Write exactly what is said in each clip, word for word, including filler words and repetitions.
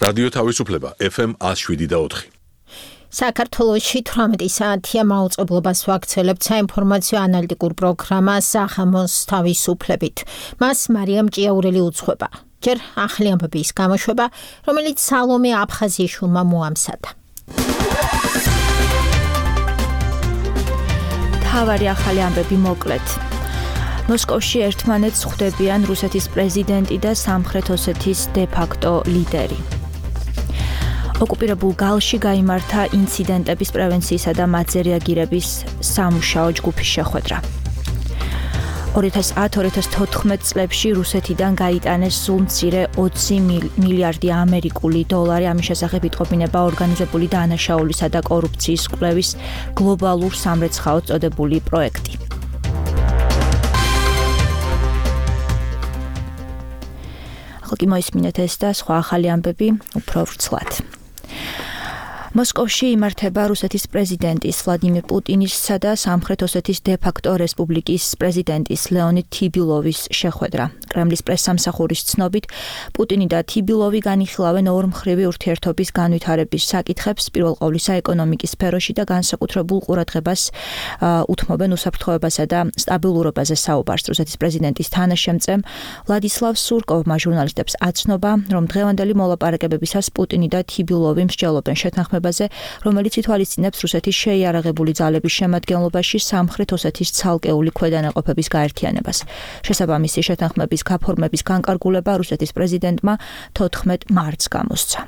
რადიო თავისუფლება ეფ ემ one oh seven point four. საქართველოში თვრამეტი საათია მაუწყებლობას ვაქცელებთ საინფორმაციო ანალიტიკურ პროგრამა სახამოს თავისუფლებით. მას მარიამ ჭიაურელი უძღვება. ჯერ ახალი ამბების გამოშვება, რომელიც სალომე აფხაზიაშვილმა მოამზადა. თავარი ახალი ამბები მოკლედ. მოსკოვში ერთმანეთს ხვდებიან რუსეთის პრეზიდენტი და სამხრეთ ოსეთის დე-ფაქტო ლიდერი. ოკუპირებულ გალში გაიმართა ინციდენტების პრევენციისა და მათზე რეაგირების სამუშაო ჯგუფის შეხვედრა. two thousand ten two thousand fourteen წლებში რუსეთიდან გაიტანეს სულ მცირე ოცი მილიარდი ამერიკული დოლარი. ამის შესახებ იტყობინება ორგანიზებული დანაშაულისა და კორუფციის კვლევის გლობალურ სამრეცხაოდ წოდებული პროექტი. ახლა კი მოისმინეთ ეს და სხვა ახალი ამბები უფრო ვრცლად. მოსკოვში იმართება რუსეთის პრეზიდენტის ვლადიმირ პუტინისა და სამხრეთ ოსეთის დე-ფაქტო რესპუბლიკის პრეზიდენტის ლეონიდ თიბილოვის შეხვედრა. კრემლის პრესსამსახურის ცნობით, პუტინი და თიბილოვი განიხილავენ ორმხრივი ურთიერთობის განვითარების საკითხებს, პირველ ყოვლისა ეკონომიკის სფეროში და განსაკუთრებულ ყურადღებას უთმობენ უსაფრთხოებასა და სტაბილურობაზე საუბარს. რუსეთის პრეზიდენტის თანაშემწემ ვლადისლავ სურკოვმა ჟურნალისტებს აცნობა, რომ დღევანდელი მოლაპარაკებებისას პუტინი და თიბილოვი მსჯელობენ შეთანხმებაზე, რომელიც ითვალისწინებს რუსეთის შეიარაღებული ძალების შემადგენლობაში სამხრეთ ოსეთის ცალკეული ქვედანაყოფების გაერთიანებას. შესაბამისი შეთანხმების გაფორმების განკარგულება რუსეთის პრეზიდენტმა თოთხმეტ მარტს გამოსცა.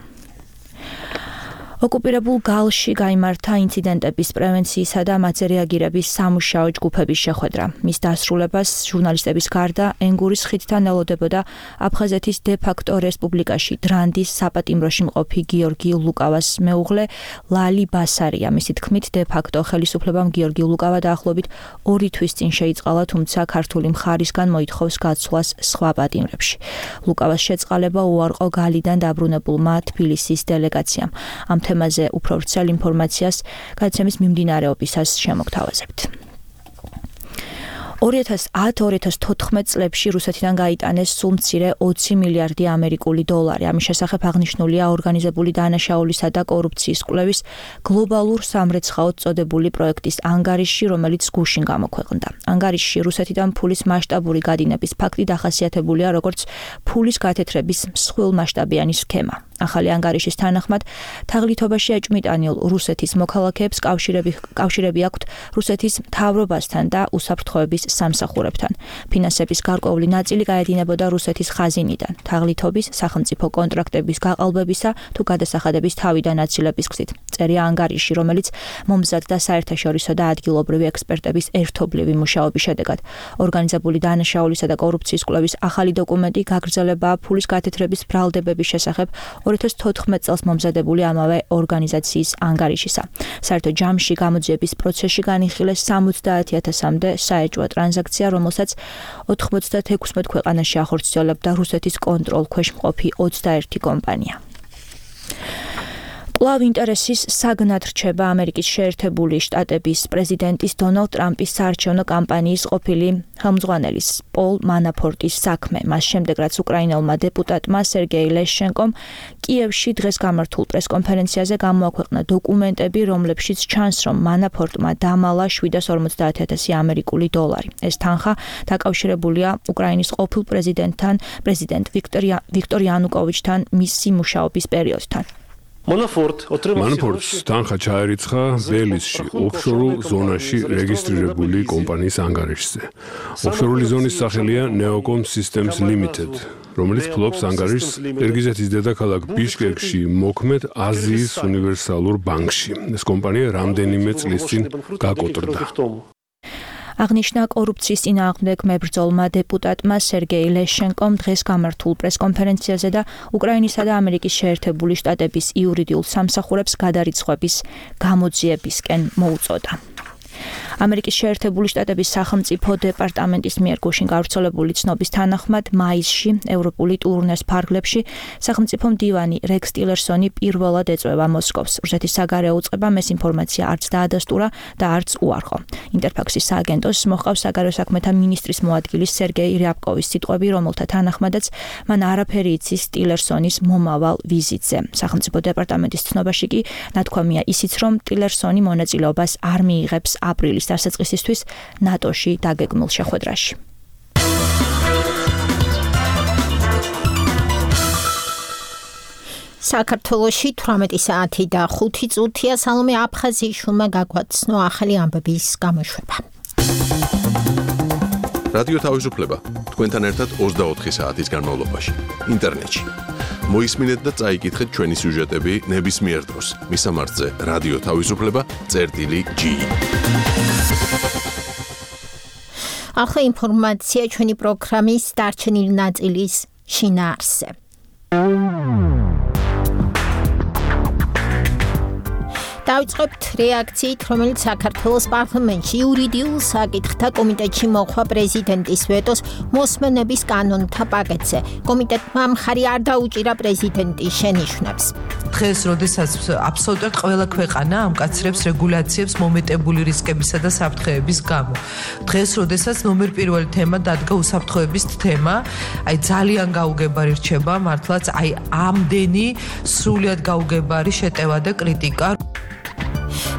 ოკუპირებულ გალში გაიმართა ინციდენტების პრევენციისა და მათზე რეაგირების სამუშაო ჯგუფების შეხვედრა. მის დასრულებას ჟურნალისტების გარდა ენგურის ხიდთან ელოდებოდა აფხაზეთის დე-ფაქტო რესპუბლიკაში დრანდის საპატიმროში მყოფი გიორგი ლუკავას მეუღლე ლალი ბასარია. მისი თქმით, დე-ფაქტო ხელისუფლებამ გიორგი ლუკავა დაახლოებით ორი თვის წინ შეიწყალა, თუმცა ქართული მხარისგან მოითხოვს გაცვლას სხვა პატიმრებში. ლუკავას შეწყალება უარყო გალიდან დაბრუნებულმა თბილისის დელეგაციამ. ამ თემაზე უფრო ვრცელ ინფორმაციას გადაცემის მიმდინარეობისას შემოგთავაზებთ. two thousand ten two thousand fourteen წლებში რუსეთიდან გაიტანეს სულ მცირე ოცი მილიარდი ამერიკული დოლარი. ამის შესახებ აღნიშნულია ორგანიზებული დანაშაულისა და კორუფციის კვლევის გლობალურ სამრეცხაოდ წოდებული პროექტის ანგარიში, რომელიც გუშინ გამოქვეყნდა. ანგარიშში რუსეთიდან ფულის მასშტაბური გადინების ფაქტი დახასიათებულია როგორც ფულის გათეთრების მსხვილმასშტაბიანი სქემა. ახალი ანგარიშის თანახმად, თაღლითობაში ეჭვმიტანილ რუსეთის მოქალაქეებს კავშირები კავშირები აქვთ რუსეთის მთავრობასთან და უსაფრთხოების სამსახურებთან. ფინანსების გარკვეული ნაწილი გაედინებოდა რუსეთის ხაზინიდან, თაღლითობის სახელმწიფო კონტრაქტების გაყალბებისა თუ გადასახადების თავიდან აცილების გზით. წერია ანგარიში, რომელიც მომზად და საერთაშორისო და ადგილობრივი ექსპერტების ერთობლივი მუშაობის შედეგად. ორგანიზებული დანაშაულისა და კორუფციის კვლევის ახალი დოკუმენტი გაგრძელებაა ფულის გათეთრების ბრალდებების შესახებ two thousand fourteen წელს მომზადებული ამავე ორგანიზაციის ანგარიშისა. საერთო ჯამში გამოძიების პროცესში განიხილეს სამოცდაათი ათასამდე საეჭვო ტრანზაქცია, რომელსაც ოთხმოცდათექვსმეტ ქვეყანაში ახორციელებდა რუსეთის კონტროლქვეშ მყოფი ოცდაერთი კომპანია. კვლავ ინტერესის საგნად რჩება ამერიკის შეერთებული შტატების პრეზიდენტის დონალდ ტრამპის საარჩევნო კამპანიის ყოფილი ხელმძღვანელის პოლ მანაფორტის საქმე. მას შემდეგ, რაც უკრაინელმა დეპუტატმა სერგეი ლეშენკომ კიევში დღეს გამართულ პრესკონფერენციაზე გამოაქვეყნა დოკუმენტები, რომლებშიც ჩანს, რომ მანაფორტმა დამალა შვიდას ორმოცდაათი ათასი ამერიკული დოლარი. ეს თანხა დაკავშირებულია უკრაინის ყოფილ პრეზიდენტთან, პრეზიდენტ ვიქტორ იანუკოვიჩთან მისი მუშაობის პერიოდთან. მანაფორტს თანხა ჩაერიცხა ბელიზში, ოფშორულ ზონაში რეგისტრირებული კომპანიის ანგარიშზე. ოფშორული ზონის სახელია Neocom Systems Limited, რომელიც ფლობს ანგარიშს ყირგიზეთის დედაქალაქ ბიშკეკში მოქმედ აზიის უნივერსალურ ბანკში. ეს კომპანია რამდენიმე წლის წინ გაკოტრდა. აღნიშნა კორუფციის წინააღმდეგ მებრძოლმა დეპუტატმა სერგეი ლეშენკომ დღეს გამართულ პრესკონფერენციაზე და უკრაინისა და ამერიკის შეერთებული შტატების იურიდიულ სამსახურებს გადარიცხვების გამოძიებისკენ მოუწოდა. ამერიკის შეერთებული შტატების სახელმწიფო დეპარტამენტის მიერ გუშინ გავრცელებული ცნობის თანახმად მაისში ევროპული ტურნეს ფარგლებში სახელმწიფო მდივანი რექს ტილერსონი პირველად ეწვევა მოსკოვს. რუსეთის საგარეო უწყებამ ეს ინფორმაცია არც დაადასტურა და არც უარყო. ინტერფაქსის სააგენტოს მოჰყავს საგარეო საქმეთა მინისტრის მოადგილის სერგეი რიაბკოვის სიტყვები, რომელთა თანახმადაც მან არაფერი იცის ტილერსონის მომავალ ვიზიტზე. სახელმწიფო დეპარტამენტის ცნობაში კი ნათქვამია ისიც, რომ ტილერსონი მონაწილეობას არ მიიღებს აპრილის დასაწყისისთვის ნატოში დაგეგმულ შეხვედრაში. საქართველოში თვრამეტი საათი და ხუთი წუთია. სალომე აფხაზიშვილმა გაგვაცნო ახალი ამბების გამოშვება. რადიო თავისუფლება თქვენთან ერთად ოცდაოთხი საათის განმავლობაში ინტერნეტში. მოისმინეთ და წაიკითხეთ ჩვენი სიუჟეტები ნებისმიერ დროს. მისამართზე რადიო თავისუფლება წერტილი ჯი. ახლა ინფორმაცია ჩვენი პროგრამის დარჩენილი ნაწილის შინაარსზე. დავიწყებთ რეაქციით, რომელიც საქართველოს პარლამენტში იურიდიულ საკითხთა კომიტეტში მოხდა პრეზიდენტის ვეტოს მოსმენების კანონთა პაკეტზე. კომიტეტმა მხარი არ დაუჭირა პრეზიდენტის შენიშვნებს. დღეს, როდესაც აბსოლუტურად ყველა ქვეყანა ამკაცრებს რეგულაციებს მომეტებული რისკებისა და საფრთხეების გამო. დღეს, როდესაც ნომერ პირველი თემა დადგა უსაფრთხოების თემა, აი ძალიან გაუგებარი რჩება მართლაც აი ამდენი სრულიად გაუგებარი შეტევა და კრიტიკა.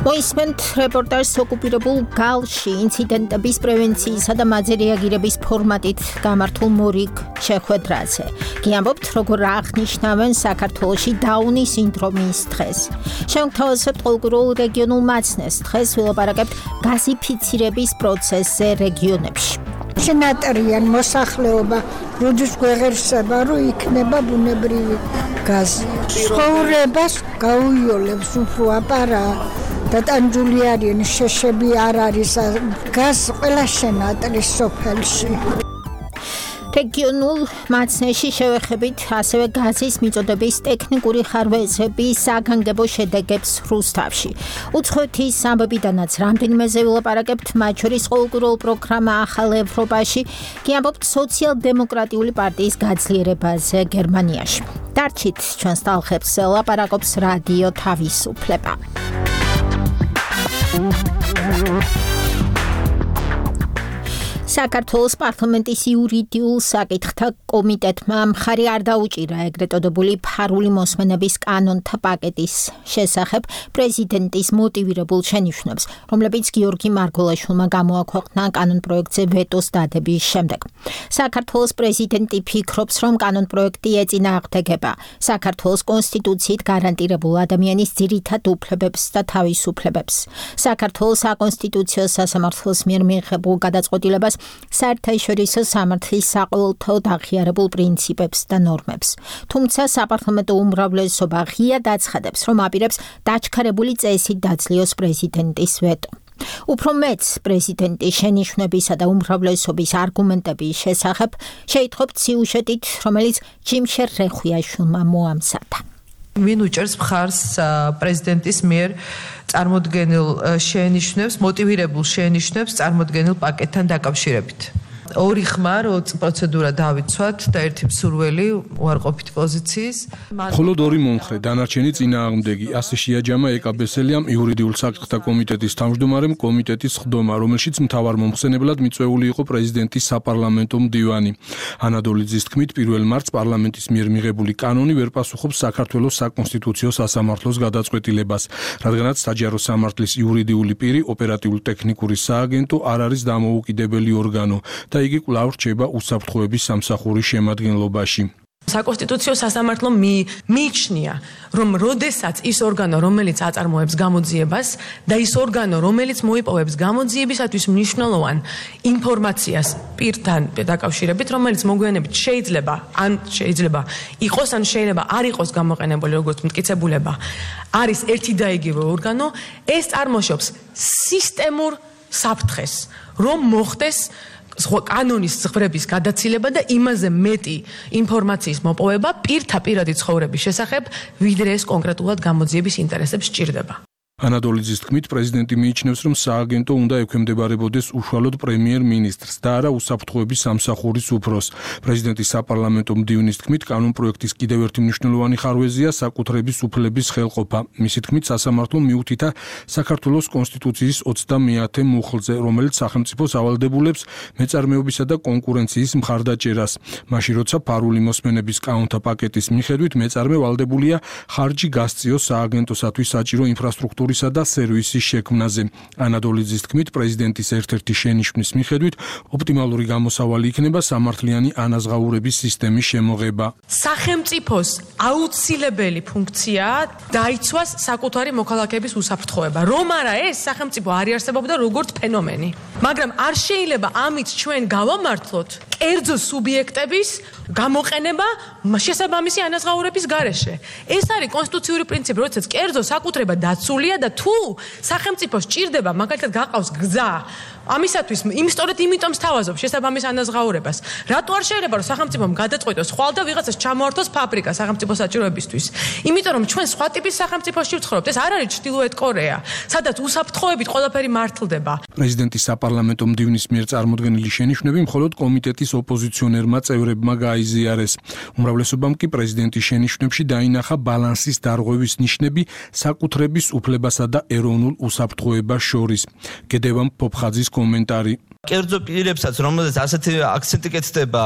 მოისმენთ რეპორტაჟს ოკუპირებულ გალში ინციდენტების პრევენციისა და მათზე რეაგირების ფორმატით გამართულ მორიგ შეხვედრაზე. გიამბობთ, როგორ აღნიშნავენ საქართველოში დაუნის სინდრომის დღეს. შევთავაზებთ ყოველგვარულ რეგიონულ მაცნეს დღეს, ვილაპარაკებთ გაზიფიცირების პროცესზე რეგიონებში. შენატრიან მოსახლეობა როდის გვეღერსება, რომ იქნება ბუნებრივი გაზი. ცხოვრებას გაუიოლებს უფრო აპარა და ტანჯული არიან, შეშები არ არის, გაზ ყველა შენატრის სოფელში. რეგიონულ მაცნეში შევეხებით ასევე გაზის მიწოდების ტექნიკური ხარვეზების საგანგებო შედეგებს რუსთავში. უცხოეთის ამბებიდანაც რამდენიმეზე ვილაპარაკებთ, მათ შორის ყოველკვირეულ პროგრამა ახალ ევროპაში, გიამბობთ სოციალ-დემოკრატიული პარტიის გაძლიერებაზე გერმანიაში. დარჩით ჩვენს ტალღებს, ლაპარაკობს რადიო თავისუფლება. საქართველოს პარლამენტის იურიდიულ საკითხთა კომიტეტმა მხარი არ დაუჭირა ეგრეთ წოდებული ფარული მოსმენების კანონთა პაკეტის შესახებ პრეზიდენტის მოტივირებულ შენიშვნებს, რომლებიც გიორგი მარგველაშვილმა გამოაქვეყნა კანონპროექტზე ვეტოს დადების შემდეგ. საქართველოს პრეზიდენტი ფიქრობს, რომ კანონპროექტი ეწინააღმდეგება საქართველოს კონსტიტუციით გარანტირებულ ადამიანის ძირითად უფლებებს და თავისუფლებებს. საქართველოს საკონსტიტუციო სასამართლოს მიერ მიიღებულ გადაწყვეტილებას საერთაშორისო სამართლის საყოველთაოდ აღიარებულ პრინციპებს და ნორმებს. თუმცა საპარლამენტო უმრავლესობა ღიად აცხადებს, რომ აპირებს დაჩქარებული წესით დაძლიოს პრეზიდენტის ვეტო. უფრო მეც პრეზიდენტის შენიშვნებისა და უმრავლესობის არგუმენტების შესახებ შეიტყობთ სიუჟეტით, რომელიც ჯიმშერ რეხვიაშვილმა მოამზადა. ვინ უჭერს მხარს პრეზიდენტის მიერ წარმოდგენილ შენიშვნებს, მოტივირებულ შენიშვნებს წარმოდგენილ პაკეტთან დაკავშირებით. ორი ხმა, რო პროცედურა დავიცვათ და ერთი მსურველი უარყოფით პოზიციის. მხოლოდ ორი მომხრე, დანარჩენი წინააღმდეგი, ასე შეაჯამა ეკაბესელიამ იურიდიულ საკითხთა კომიტეტის თავმჯდომარემ კომიტეტის ხდომა, რომელშიც მთავარ მომხსენებლად მიწვეული იყო პრეზიდენტის საპარლამენტო მდივანი. ანადოლიძის თქმით, პირველ მარტს პარლამენტის მიერ მიღებული კანონი ვერ პასუხობს საქართველოს საკონსტიტუციო სასამართლოს გადაწყვეტილებას, რადგანაც საჯარო სამართლის იურიდიული პირი ოპერატიულ-ტექნიკური სააგენტო არ არის დამოუკიდებელი ორგანო და იგი კვლავ რჩება უსაფრთხოების სამსახურის შემადგენლობაში. საკონსტიტუციო სასამართლომ მიიჩნია, რომ როდესაც ის ორგანო, რომელიც აწარმოებს გამოძიებას და ის ორგანო, რომელიც მოიპოვებს გამოძიებისათვის მნიშვნელოვან ინფორმაციას პირთან დაკავშირებით, რომელიც მოგვიანებით შეიძლება ან შეიძლება იყოს, ან შეიძლება არ იყოს გამოყენებული როგორც მტკიცებულება, არის ერთი და იგივე ორგანო, ეს წარმოშობს სისტემურ საფრთხეს, რომ მოხდეს კანონის ზღვრების გადაცილება და იმაზე მეტი ინფორმაციის მოპოვება პირთა პირადი ცხოვრების შესახებ, ვიდრე ეს კონკრეტულად გამოძიების ინტერესებს სჭირდება. ანადოლიძის თქმით, პრეზიდენტი მიიჩნევს, რომ სააგენტო უნდა ექვემდებარებოდეს უშუალოდ პრემიერ-მინისტრს და არა უსაფრთხოების სამსახურის უფროს. პრეზიდენტის საპარლამენტო მდივნის თქმით, კანონპროექტის კიდევ ერთი მნიშვნელოვანი ხარვეზია საკუთრების უფლების ხელყოფა. მისი თქმით, სასამართლომ მიუთითა საქართველოს კონსტიტუციის ოცდამეათე მუხლზე, რომელიც სახელმწიფოს ავალდებულებს მეწარმეობისა და კონკურენციის მხარდაჭერას. მაშინ, როცა ფარული მოსმენების კანონთა პაკეტის მიხედვით მეწარმე ვალდებულია ხარჯი გასწიოს სააგენტოსათვის საჭირო ინფრასტრუქტურისა და სერვისის შექმნაზე. ანადოლიძის თქმით, პრეზიდენტის ერთ-ერთი შენიშვნის მიხედვით ოპტიმალური გამოსავალი იქნება სამართლიანი ანაზღაურების სისტემის შემოღება. სახელმწიფოს აუცილებელი ფუნქციაა დაიცვას საკუთარი მოქალაქეების უსაფრთხოება. რომ არა ეს სახელმწიფო არ იარსებობდა როგორც ფენომენი. მაგრამ არ შეიძლება ამით ჩვენ გავამართლოთ კერძო სუბიექტების გამოყენება შესაბამისი ანაზღაურების გარეშე. ეს არის კონსტიტუციური პრინციპი, როდესაც კერძო საკუთრება დაცულია და თუ სახელმწიფოს ჭირდება მაგალითად გაყავს გზა, ამისათვის იმ სწორედ იმიტომ სთავაზობს შესაბამის ანაზღაურებას. რატო არ შეიძლება რომ სახელმწიფომ გადაწყვიტოს ხვალ და ვიღაცას ჩამოართოს ფაბრიკა სახელმწიფო საჭიროებისთვის? იმიტომ რომ ჩვენ სხვა ტიპის სახელმწიფოში ვცხოვრობთ. ეს არ არის ჩრდილოეთ კორეა, სადაც უსაფრთხოებით ყველაფერი მართლდება. პრეზიდენტის საპარლამენტო მდივნის მიერ წარმოდგენილი შენიშვნები მხოლოდ კომიტეტის ოპოზიციონერმა წევრებმა გაიზიარეს. უმრავლესობამ კი პრეზიდენტის შენიშვნებში დაინახა ბალანსის დარღვევის ნიშნები საკუთრების უფლებასა და ეროვნულ უსაფრთხოებას შორის. გედევან ფოფხაძის კომენტარი. კერძო პირებსაც, რომელზეც ასეთი აქცენტი კეთდება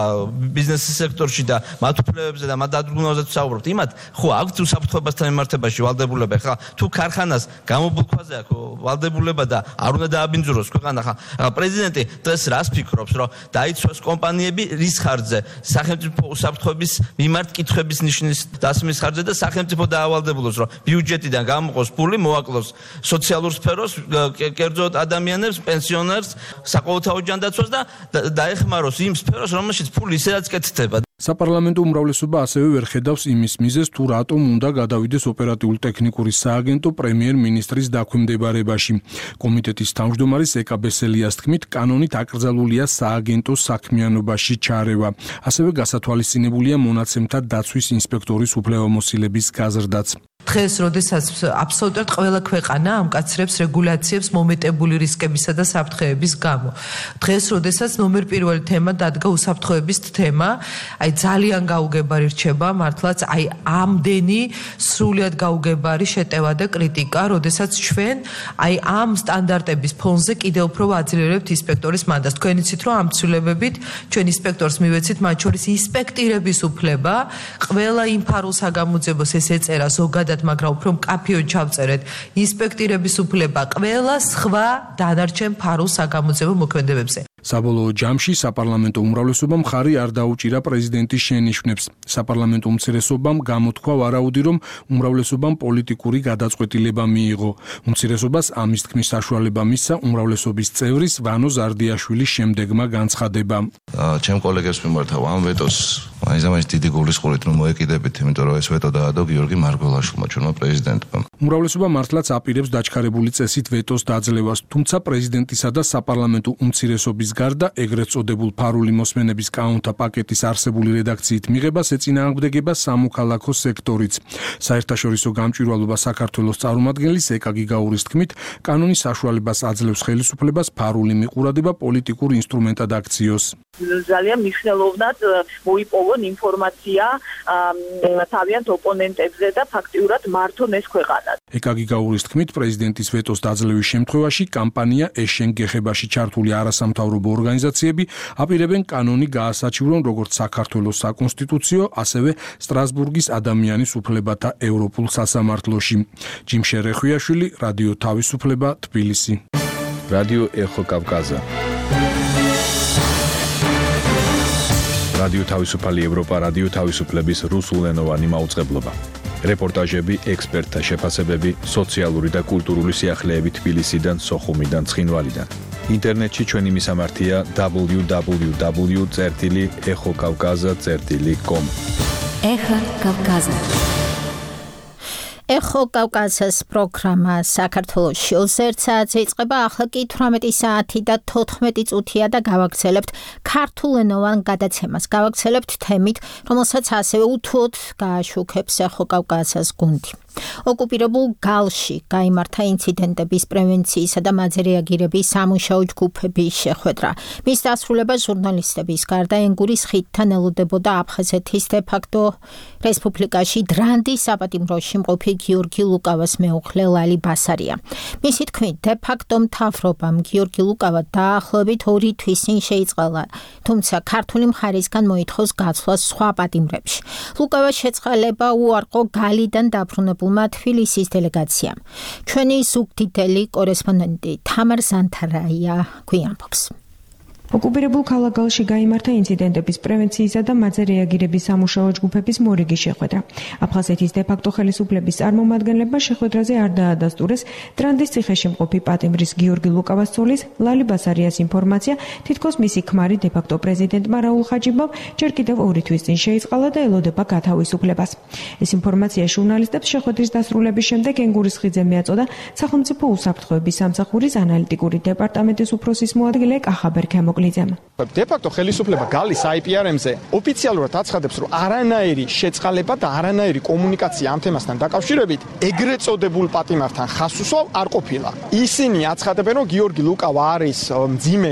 ბიზნესის სექტორში და მათ უფლებებზე და მათ დადგმაზე ვსაუბრობთ, იმათ ხო აქვთ უსაფრთხოებასთან მიმართებაში ვალდებულება. ხა თუ ქარხანას გამობულქვაზე აქვს ვალდებულება და არ უნდა დააბინძუროს ქვეყანა, ხა პრეზიდენტი დღეს რას ფიქრობს, რომ დაიცვას კომპანიები რის ხარჯზე? სახელმწიფო უსაფრთხოების მიმართ კითხვების ნიშნის დასმის ხარჯზე და სახელმწიფო დაავალდებულოს, რომ ბიუჯეტიდან გამოყოს ფული, მოაკლოს სოციალურ სფეროს, კერძო ადამიანებს, პენსიონერს, საყოველთაო ოჯანდაცვას და დაეხმაროს იმ სფეროს, რომელშიც ფული ისედაც კეთდება. საპარლამენტო უმრავლესობა ასევე ვერ ხედავს იმის მიზეზს, თუ რატომ უნდა გადავიდეს ოპერატიულ-ტექნიკური სააგენტო პრემიერ-მინისტრის დაქვემდებარებაში. კომიტეტის თავმჯდომარის ეკა ბესელიას თქმით, კანონით აკრძალულია სააგენტოს საქმიანობაში ჩარევა. ასევე გასათვალისწინებულია მონაცემთა დაცვის ინსპექტორის უფლებამოსილების გაზრდაც. დღეს, როდესაც აბსოლუტურად ყველა ქვეყანა ამკაცრებს რეგულაციებს მომეტებული რისკებისა და საფრთხეების გამო. დღეს, როდესაც ნომერ პირველი თემა დადგა უსაფრთხოების თემა, აი ძალიან გაუგებარი რჩება მართლაც აი ამდენი სრულად გაუგებარი შეტევა და კრიტიკა, როდესაც ჩვენ აი ამ სტანდარტების ფონზე კიდევ უფრო ვაძლიერებთ ინსპექტორის მანდატს. თქვენ იცით, რომ ამ ცვლილებებით ჩვენ ინსპექტორს მივეცით, მათ შორის ინსპექტირების უფლება, ყველა იმ ფარულ საგამოძიებოს ეს ეწერა ზოგადად, მაგრამ უფრო მკაფიოდ ჩავწერეთ ინსპექტირების უფლება ყველა სხვა დანარჩენ ფარულ საგამოძიებო მოქმედებებზე. საბოლოო ჯამში საპარლამენტო უმრავლესობამ მხარი არ დაუჭირა პრეზიდენტის შენიშვნებს. საპარლამენტო უმცირესობამ გამოთქვა ვარაუდი, რომ უმრავლესობამ პოლიტიკური გადაწყვეტილება მიიღო. უმცირესობას ამის თქმის საშუალება მისცა უმრავლესობის წევრის ვანო ზარდიაშვილის შემდეგმა განცხადებამ. ჩემ კოლეგებს მიმართავ ამ ვეტოს მაინც დიდი გულისყურით რომ მოეკიდებით, იმიტომ რომ ეს ვეტო დაადო გიორგი მარგველაშვილმა, ჩვენმა პრეზიდენტმა. უმრავლესობა მართლაც აპირებს დაჩქარებული წესით ვეტოს დაძლევას, თუმცა პრეზიდენტისა და საპარლამენტო უმცირესობის გარდა ეგრეთ წოდებულ ფარული მოსმენების კანონთა პაკეტის არსებული რედაქციით მიღებას ეწინააღმდეგება სამოქალაქო სექტორიც. საერთაშორისო გამჭვირვალობა საქართველოს წარმომადგენლის ეკა გიგაურის თქმით, კანონის საშუალებას აძლევს ხელისუფლებას ფარული მიყურადება პოლიტიკურ ინსტრუმენტად აქციოს. ძალიან მნიშვნელოვნად მოიპოვონ ინფორმაცია თავიანთ ოპონენტებზე და ფაქტიურად მართონ ეს ქვეყანა. ეკა გიგაურის თქმით, პრეზიდენტის ვეტოს დაძლევის შემთხვევაში კამპანია ეშენ გეხებაში ჩართული არასამთავრობო ორგანიზაციები აპირებენ კანონი გაასაჩივრონ როგორც საქართველოს საკონსტიტუციო, ასევე სტრასბურგის ადამიანის უფლებათა ევროპულ სასამართლოში. ჯიმ შერეხვიაშვილი, რადიო თავისუფლება, თბილისი. რადიო ეხო კავკაზა. რადიო თავისუფალი ევროპა, რადიო თავისუფლების რუსულენოვანი მაუწყებლობა. რეპორტაჟები, ექსპერტთა შეფასებები, სოციალური და კულტურული სიახლეები თბილისიდან, სოხუმიდან, ცხინვალიდან. ინტერნეტში ჩვენი მისამართია დაბლიუ დაბლიუ დაბლიუ წერტილი ეხო კავკაზა წერტილი კომ. ეხო კავკაზა. ეხო კავკაზას პროგრამა საქართველოში ოცდაერთ საათზე იწყება, ახლა კი თვრამეტი საათი და თოთხმეტი წუთია და გავაგრძელებთ ქართულენოვან გადაცემას. გავაგრძელებთ თემით, რომელსაც ასევე უთუოდ გააშუქებს ეხო კავკაზას გუნდი. ოკუპირებულ გალში გაიმართა ინციდენტების პრევენციისა და მათზე რეაგირების სამუშაო ჯგუფების შეხვედრა. მის დასრულებას ჟურნალისტების გარდა ენგურის ხიდთან ელოდებოდა აფხაზეთის დე-ფაქტო რესპუბლიკაში დრანდის საპატიმროში მყოფი გიორგი ლუკავას მეუღლე ლალი ბასარია. მისი თქმით, დე-ფაქტო მთავრობამ გიორგი ლუკავა დაახლოებით ორი თვის წინ შეიწყალა, თუმცა ქართული მხარისგან მოითხოვს გაცვლას სხვა პატიმრებში. ლუკავა შეწყალება უარყო გალიდან დაბრუნებულმა თბილისის დელეგაციამ. ჩვენი ზუგდიდელი კორესპონდენტი თამარ ზანთარაია გვიანბობს. ოკუპირებულ ქალაქ გალში გაიმართა ინციდენტების პრევენციისა და მათზე რეაგირების სამუშაო ჯგუფების მორიგი შეხვედრა. აფხაზეთის დე-ფაქტო ხელისუფლების წარმომადგენლებმა შეხვედრაზე არ დაადასტურეს ტრანდის ციხეში მყოფი პატიმრის გიორგი ლუკავას ცოლის ლალი ბასარიას ინფორმაცია, თითქოს მისი ქმარი დე-ფაქტო პრეზიდენტმა რაულ ხაჯიბამ ჯერ კიდევ ორი თვის წინ შეიწყალა და ელოდება გათავისუფლებას. ეს ინფორმაცია ჟურნალისტებს შეხვედრის დასრულების შემდეგ ენგურის ხიდზე მიაწოდა სახელმწიფო უსაფრთხოების სამსახურის ანალიტიკური დეპარტამენტის უფროსის მოადგილე კახაბერ ქემო დე-ფაქტო ხელისუფლება გალის აი პი არ ემ-ზე ოფიციალურად აცხადებს, რომ არანაირი შეწყალება და არანაირი კომუნიკაცია ამ თემასთან დაკავშირებით ეგრეთ წოდებულ პატიმართან ხასუსო არ ყოფილა. ისინი აცხადებენ, რომ გიორგი ლუკავა არის მძიმე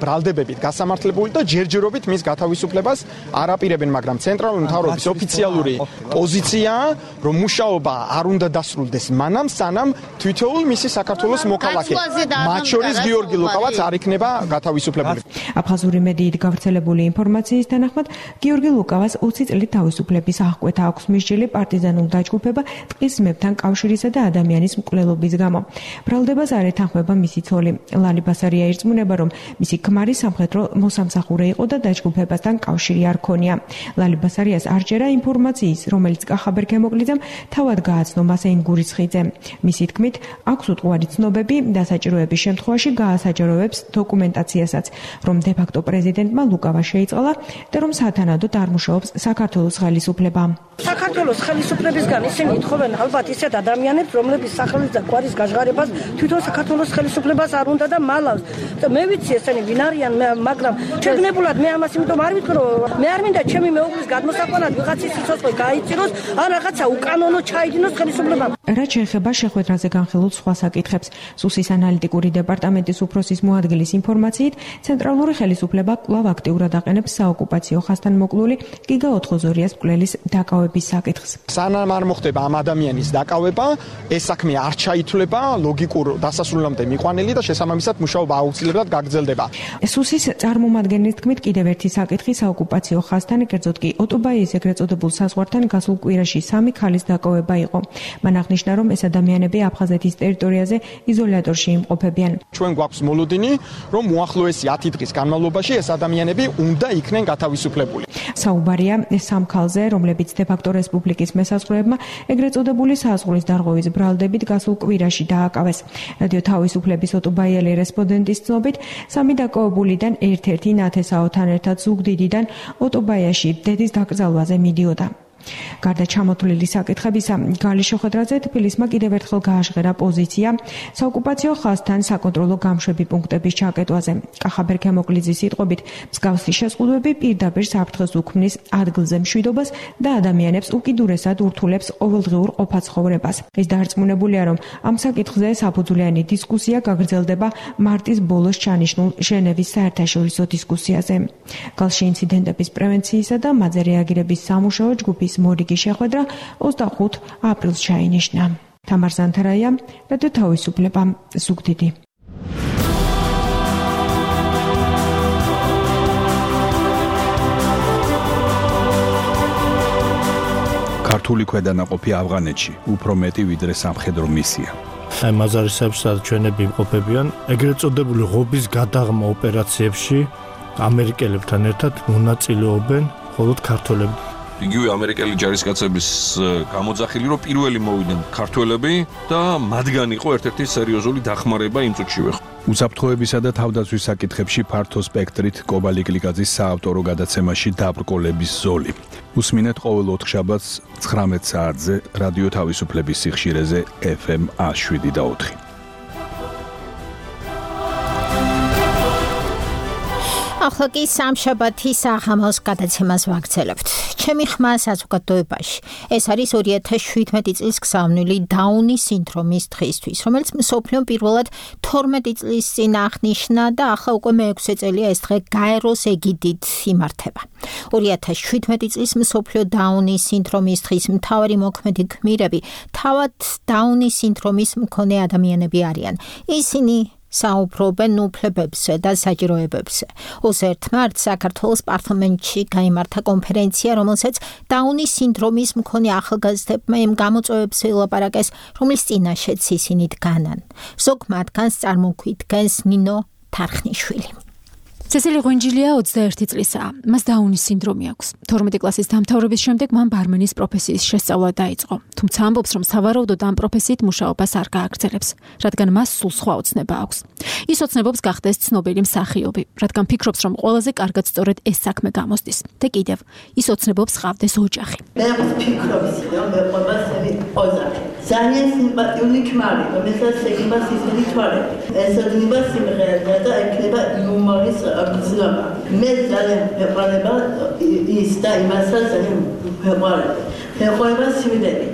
ბრალდებებით გასამართლებული და ჯერჯერობით მის გათავისუფლებას არ აპირებენ, მაგრამ ცენტრალური მთავრობის ოფიციალური პოზიციაა, რომ მუშაობა არ უნდა დასრულდეს მანამ, სანამ თვითოულ მისი საქართველოს მოქალაქე, მათ შორის გიორგი ლუკავაც არ იქნება გათავისუფლებული. აფხაზური მედიით გავრცელებული ინფორმაციის თანახმად, გიორგი ლუკავას ოცი წლით თავისუფლების აღკვეთა აქვს მისჯილი პარტიზანულ დაჯგუფება ტყის ძმებთან კავშირისა და ადამიანის მკვლელობის გამო. ბრალდებას არ ეთანხმება მისი ცოლი. ლალი ბასარია ირწმუნება, რომ მისი ქმარი სამხედრო მოსამსახურე იყო და დაჯგუფებასთან კავშირი არ ქონია. ლალი ბასარიას არ ჯერა ინფორმაციის, რომელიც კახაბერ ქემოკლიძემ თავად გააცნო მას ენგურის ხიდზე. მისი თქმით, აქვს უტყუარი ცნობები და საჭიროების შემთხვევაში გაასაჯაროებს დოკუმენტაციასაც, რომ დე-ფაქტო პრეზიდენტმა ლუკავა შეიწყალა და რომ სათანადოდ არ მუშაობს საქართველოს ხელისუფლება. საქართველოს ხელისუფლებისგან ისინი ითხოვენ ალბათ ისეთ ადამიანებს, რომლების სახელის და გვარის გაჟღარებას თვითონ საქართველოს ხელისუფლებას არ უნდა და მალავს. მე ვიცი ესენი ვინ არიან, მაგრამ შეგნებულად მე ამას იმიტომ არ ვიტყვი, რომ მე არ მინდა ჩემი მეუღლის გადმოსაყვანად ვიღაცის სიცოცხლე გაიწიროს, ან რაღაცა უკანონო ჩაიდინოს ხელისუფლებამ. რაც შეეხება შეხვედრაზე განხილულ სხვა საკითხებს, სუსის ანალიტიკური დეპარტამენტის უფროსის მოადგილის ინფორმაციით, ცენტრალური ხელისუფლება კვლავ აქტიურად აყენებს საოკუპაციო ხაზთან მოკლული გიგა ოთხოზორიას მკვლელის დაკავების საკითხს. სანამ არ მოხდება ამ ადამიანის დაკავება, ეს საქმე არ ჩაითვლება ლოგიკურ დასასრულამდე მიყვანილი და შესაბამისად მუშაობა აუცილებლად გაგრძელდება. სუსის წარმომადგენლის თქმით, კიდევ ერთი საკითხი საოკუპაციო ხაზთან, კერძოდ კი ოტობაიის ეგრეთ წოდებულ საზღვართან გასულ კვირაში სამი ქალის დაკავება იყო. მან აღნიშნა, რომ ეს ადამიანები აფხაზეთის ტერიტორიაზე იზოლატორში იმყოფებიან. ჩვენ გვაქვს მოლოდინი, რომ უახლოესი ათი დღის განმავლობაში ეს ადამიანები უნდა იქნენ გათავისუფლებული. საუბარია სამ ქალზე, რომლებიც დე-ფაქტო რესპუბლიკის მესაზღვრეებმა ეგრეთ წოდებული საზღვრის დარღვევის ბრალდებით გასულ კვირაში დააკავეს. რადიო თავისუფლების ოტობაიელი რესპონდენტის ცნობით, სამი დაკავებულიდან ერთ-ერთი ნათესაოთან ერთად ზუგდიდიდან ოტობაიაში დედის დაკრძალვაზე მიდიოდა. გარდა ჩამოთვლილი საკითხებისა, გალის შეხვედრაზე თბილისმა კიდევ ერთხელ გააჟღერა პოზიცია საოკუპაციო ხაზთან საკონტროლო გამშვები პუნქტების ჩაკეტვაზე. კახაბერ ქემოკლიძის სიტყვებით, მსგავსი შეზღუდვები პირდაპირ საფრთხეს უქმნის ადგილზე მშვიდობას და ადამიანებს უკიდურესად ურთულებს ყოველდღიურ ყოფაცხოვრებას. ის დაარწმუნებულია, რომ ამ საკითხზე საფუძვლიანი დისკუსია გაგრძელდება მარტის ბოლოს ჩანიშნულ ჟენევის საერთაშორისო დისკუსიაზე. გალში ინციდენტების პრევენციისა და მათზე რეაგირების სამუშაო ჯგუფის მორიგი შეხვედრა ოცდახუთ აპრილს ჩაინიშნა. თამარ ზანთარაია, რადიო თავისუფლება, ზუგდიდი. ქართული ქვედანაყოფი ავღანეთში უფრო მეტი ვიდრე სამხედრო მისია. აი მაზარისებში სადაც ჩვენები იმყოფებიან, ეგრეთ წოდებული ღობის გადაღმა ოპერაციებში ამერიკელებთან ერთად მონაწილეობენ მხოლოდ ქართველები. იგივე ამერიკელი ჯარისკაცების გამოძახილი, რომ პირველი მოვიდნენ ქართველები და მათგან იყო ერთ-ერთი სერიოზული დახმარება იმ წუთშივე. უსაფრთხოებისა და თავდაცვის საკითხებში ფართო სპექტრით კობალი კლიკაძის საავტორო გადაცემაში დაბრკოლების ზოლი. უსმინეთ ყოველ ოთხშაბათს ცხრამეტ საათზე რადიო თავისუფლების სიხშირეზე ეფ ემ შვიდ და ოთხი. ახლა კი სამშაბათის აღამოს გადაცემას ვაგრძელებთ. ჩემი ხმა საზოგადოებაში. ეს არის ორი ათას შვიდმეტი წლის გზავნილი დაუნის სინდრომის დღისთვის, რომელიც მსოფლიომ პირველად თორმეტი წლის წინ აღნიშნა და ახლა უკვე მეექვსე წელია ეს დღე გაეროს ეგიდით იმართება. ორი ათას შვიდმეტი წლის მსოფლიო დაუნის სინდრომის დღის მთავარი მოქმედი გმირები თავად დაუნის სინდრომის მქონე ადამიანები არიან. ისინი საუბრობენ უფლებებზე და საჭიროებებზე. ოცი მარტს საქართველოს პარლამენტში გაიმართა კონფერენცია, რომელსაც დაუნის სინდრომის მქონე ახალგაზრდებმა იმ გამოწვევებზე ელაპარაკეს, რომლის წინაშეც ისინი დგანან. ზოგ მათგანს წარმოგვიდგენს ნინო თარხნიშვილი. ცესილი ღვინჯილია ოცდაერთი წლისაა. მას დაუნის სინდრომი აქვს. თორმეტი კლასის დამთავრების შემდეგ მან ბარმენის პროფესიის შესწავლა დაიწყო. თუმცა ამბობს, რომ სავარაუდოდ ამ პროფესიით მუშაობას არ გააგრძელებს, რადგან მას სულ სხვა ოცნება აქვს. ის ოცნებობს გახდეს ცნობილი მსახიობი, რადგან ფიქრობს, რომ ყველაზე კარგად სწორედ ეს საქმე გამოსდის. და კიდევ, ის ოცნებობს ყავდეს ოჯახი. მე ვფიქრობ, რომ მეყვება სები ოჯახი. ძალიან სიმპათიური ქმარი, რომელსაც შეიძლება ისინი თვალები. ეს ოდნობა სიმღერა და ექნება იუმორის გზნობა. მე ძალიან მეყვარება ის და იმასაც ძალიან მეყვარება. მეყვარება სიმდები.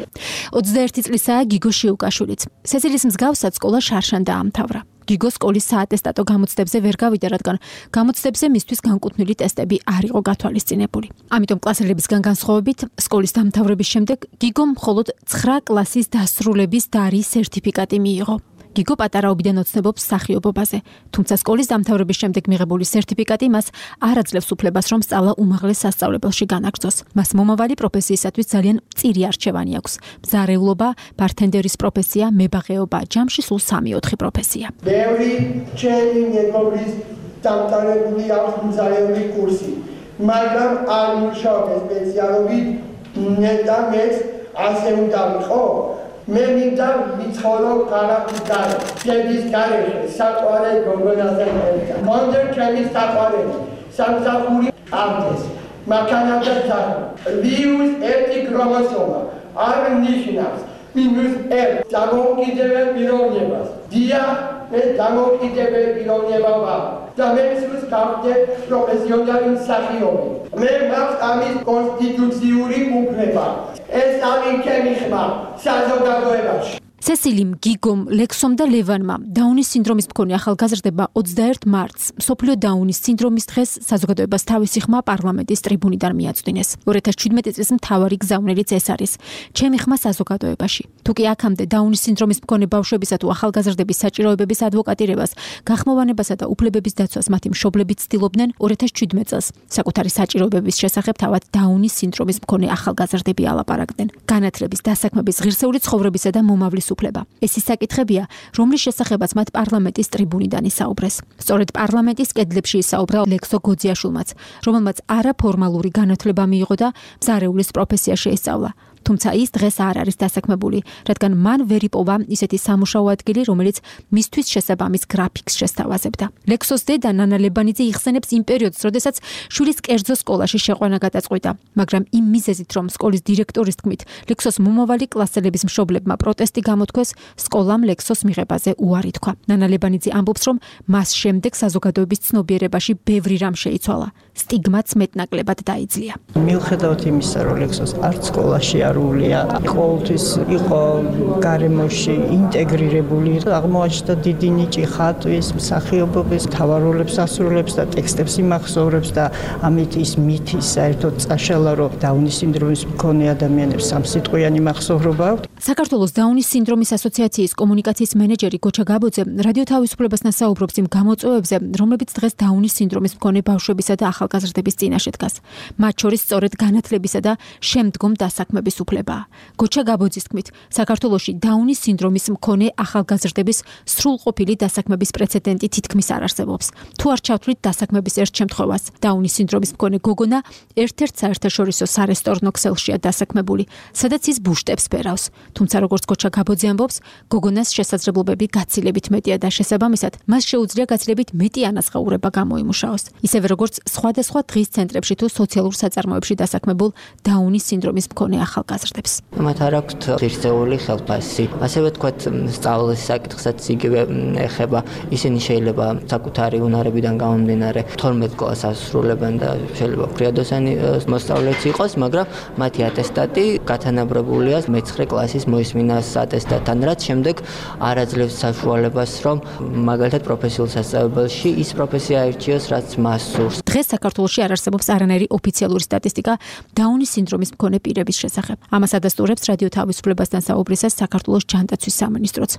ოცდაერთი წლისაა გიგო შიუკაშვილიც. სესილის მსგავსად სკოლა შარშან დაამთავრა. გიგო სკოლის საატესტატო გამოცდებზე ვერ გავიდა, რადგან გამოცდებზე მისთვის განკუთვნილი ტესტები არ იყო გათვალისწინებული. ამიტომ კლასელებისგან განსხვავებით, სკოლის დამთავრების შემდეგ გიგომ მხოლოდ ცხრა კლასის დასრულების დარის სერტიფიკატი მიიღო. გიგო პატარაობიდან ოცნებობს მსახიობობაზე, თუმცა სკოლის დამთავრების შემდეგ მიღებული სერტიფიკატი მას არ აძლევს უფლებას, რომ სწავლა უმაღლეს სასწავლებელში განაგრძოს. მას მომავალი პროფესიისათვის ძალიან მწირი არჩევანი აქვს: მზარეულობა, ბართენდერის პროფესია, მებაღეობა, ჯამში სულ სამი-ოთხი პროფესია. ბევრი ჩემი მეგობრის დამთავრებული აქვს მზარეული კურსი, მაგრამ არ მუშაობ სპეციალობით და მეც ასე უნდა ვიყო. მე მინდა ვიცხოვრო ქალაქის გარე, შედის გარეშე, საყვარე გოგონასთან ერთად. მონდერ ჩემი საყვარელი, სამსახური ავდეს, მაქანათა ძაღლი. ვირუს ერთი ქრომოსომა არ ნიშნავს მინუს ერთ დამოუკიდებელ პიროვნებას. დიახ, მე დამოუკიდებელ პიროვნება ვარ და მე სულს გავხდე პროფესიონალი მსახიობი. მე მაქვს ამის კონსტიტუციური უფლება. ეს არის ჩემი ხმა საზოგადოებაში. სესილიმ, გიგომ, ლექსომ და ლევანმა დაუნის სინდრომის მქონე ახალგაზრდებმა ოცდაერთ მარტს მსოფლიო დაუნის სინდრომის დღეს საზოგადოებას თავისი ხმა პარლამენტის ტრიბუნიდან მიაწვდინეს. ორი ათას შვიდმეტი წლის მთავარი გზავნილიც ეს არის. ჩემი ხმა საზოგადოებაში. თუ კი აქამდე დაუნის სინდრომის მქონე ბავშვებისა თუ ახალგაზრდების საჭიროებების ადვოკატირებას, გახმოვანებასა და უფლებების დაცვას მათი მშობლები ცდილობდნენ, ორი ათას შვიდმეტ წელს საკუთარი საჭიროებების შესახებ თავად დაუნის სინდრომის მქონე ახალგაზრდები ალაპარაკდნენ. განათლების, დასაქმების, ღირსეული ცხოვრებისა და მომავლის უფლება. ეს ის საკითხებია, რომლის შესახებაც მათ პარლამენტის ტრიბუნიდან ისაუბრეს. სწორედ პარლამენტის კედლებში ისაუბრა ლექსო გოძიაშვილმაც, რომელმაც არაფორმალური განათლება მიიღო და მზარეულის პროფესია შეისწავლა. თუმცა ის დღეს არ არის დასაქმებული, რადგან მან ვერ იპოვა ისეთი სამუშაო ადგილი, რომელიც მისთვის შესაბამის გრაფიკს შესთავაზებდა. ლექსოს დედა ნანა ლებანიძე იხსენებს იმ პერიოდს, როდესაც შვილის კერძო სკოლაში შეყვანა გადაწყვიტა, მაგრამ იმ მიზეზით, რომ სკოლის დირექტორის თქმით, ლექსოს მომავალი კლასელების მშობლებმა პროტესტი გამოთქვეს, სკოლამ ლექსოს მიღებაზე უარი თქვა. ნანა ლებანიძე ამბობს, რომ მას შემდეგ საზოგადოების ცნობიერებაში ბევრი რამ შეიცვალა, სტიგმაც მეტნაკლებად დაიძლია. მიუხედავად იმისა, რომ ლექსოს არც სკოლაში არულია, ყოველთვის იყო გარემოში ინტეგრირებული, აღმოაჩნდა დიდი ნიჭი ხატვის, მსახიობობის, თავაროლებს ასრულებს და ტექსტებს იმახსოვრებს და ამით ის მითი საერთოდ წაშალა, რომ დაუნის სინდრომის მქონე ადამიანებს სამსიტყვიანი მახსოვრობა აქვთ. საქართველოს დაუნის სინდრომის ასოციაციის კომუნიკაციის მენეჯერი გოჩა გაბოძე რადიო თავისუფლებასთან საუბრობს იმ გამოწვევებზე, რომლებიც დღეს დაუნის სინდრომის მქონე ბავშვებისა და ახალგაზრდების წინაშე დგას. მათ შორის სწორედ განათლებისა და შემდგომ დასაქმების უფლებაა. გოჩა გაბოძის თქმით, საქართველოში დაუნის სინდრომის მქონე ახალგაზრდების სრულყოფილი დასაქმების პრეცედენტი თითქმის არ არსებობს. თუ არ ჩავთვლით დასაქმების ერთ შემთხვევას, დაუნის სინდრომის მქონე გოგონა ერთ-ერთ საერთაშორისო სარესტორნო ქსელშია დასაქმებული, სადაც ის ბუშტებს ფერავს. თუმცა როგორც გოჩა გაბოძე ამბობს, გოგონას შესაძლებლობები გაცილებით მეტია და შესაბამისად, მას შეუძლია გაცილებით მეტი ანაზღაურება გამოიმუშაოს. ისევე როგორც სხვადასხვა დღის ცენტრებში თუ სოციალურ საწარმოებში დასაქმებულ დაუნის სინდრომის მქონე ახალგაზრდებს. ახალგაზრდებს. მათ არ აქვთ ღირსეული ხელფასი. ასევე თქვათ სწავლის საკითხსაც იგივე ეხება. ისინი შეიძლება საკუთარი უნარებიდან გამომდინარე თორმეტ კლასს ასრულებენ და შეიძლება ფრიადოსანი მოსწავლეც იყოს, მაგრამ მათი ატესტატი გათანაბრებულია მეცხრე კლასის მოისმინას ატესტატთან, რაც შემდეგ არ აძლევს საშუალებას, რომ მაგალითად პროფესიულ სასწავლებელში ის პროფესია აირჩიოს, რაც მას სურს. დღეს საქართველოში არ არსებობს არანაირი ოფიციალური სტატისტიკა დაუნის სინდრომის მქონე პირების შესახებ. ამას ადასტურებს რადიო თავისუფლებასთან საუბრისას საქართველოს ჯანდაცვის სამინისტროც.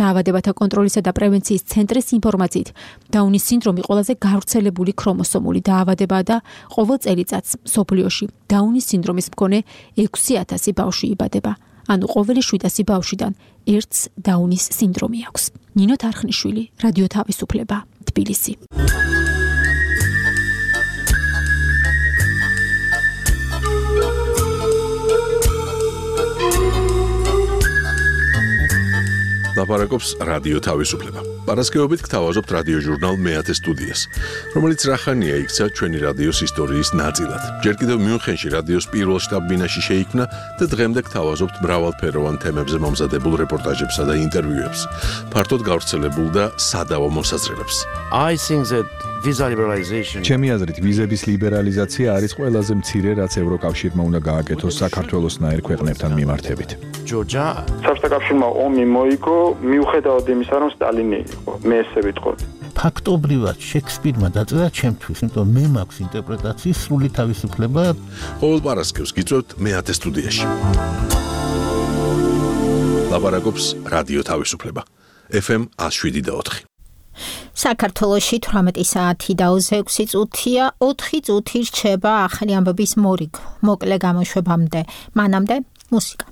დაავადებათა კონტროლისა და პრევენციის ცენტრის ინფორმაციით, დაუნის სინდრომი ყველაზე გავრცელებული ქრომოსომული დაავადებაა და ყოველ წელიწადს მსოფლიოში დაუნის სინდრომის მქონე ექვსი ათასი ბავშვი იბადება. ანუ ყოველი შვიდასი ბავშვიდან ერთს დაუნის სინდრომი აქვს. ნინო თარხნიშვილი, რადიო თავისუფლება, თბილისი. ლაპარაკობს რადიო თავისუფლება. პარასკევობით გთავაზობთ რადიო ჟურნალ მეათე სტუდიას, რომელიც რახანია იქცა ჩვენი რადიოს ისტორიის ნაწილად. ჯერ კიდევ მიუნხენში რადიოს პირველ შტაბ-ბინაში შეიქმნა და დღემდე გთავაზობთ მრავალფეროვან თემებზე მომზადებულ რეპორტაჟებსა და ინტერვიუებს, ფართოდ გავრცელებულ და სადავო მოსაზრებებს. I think that visa liberalization ჩემი აზრით ვიზების ლიბერალიზაცია არის ყველაზე მცირე, რაც ევროკავშირმა უნდა გააკეთოს საქართველოსნაირ ქვეყნებთან მიმართებით. ჯორჯა საბჭოთა კავშირმა ომი მოიგო მიუხედავად იმისა, რომ სტალინი იყო. მე ესე ვიტყოდი. ფაქტობრივად შექსპირმა დაწერა ჩემთვის, იმიტომ მე მაქვს ინტერპრეტაციის სრული თავისუფლება. ყოველ პარასკევს გიწევთ მეათე სტუდიაში. ლაპარაკობს რადიო თავისუფლება. ეფ ემ one oh seven point four. საქართველოში თვრამეტი საათი და ექვსი წუთია, ოთხი წუთი რჩება ახალი ამბების მორიგ მოკლე გამოშვებამდე. მანამდე მუსიკა.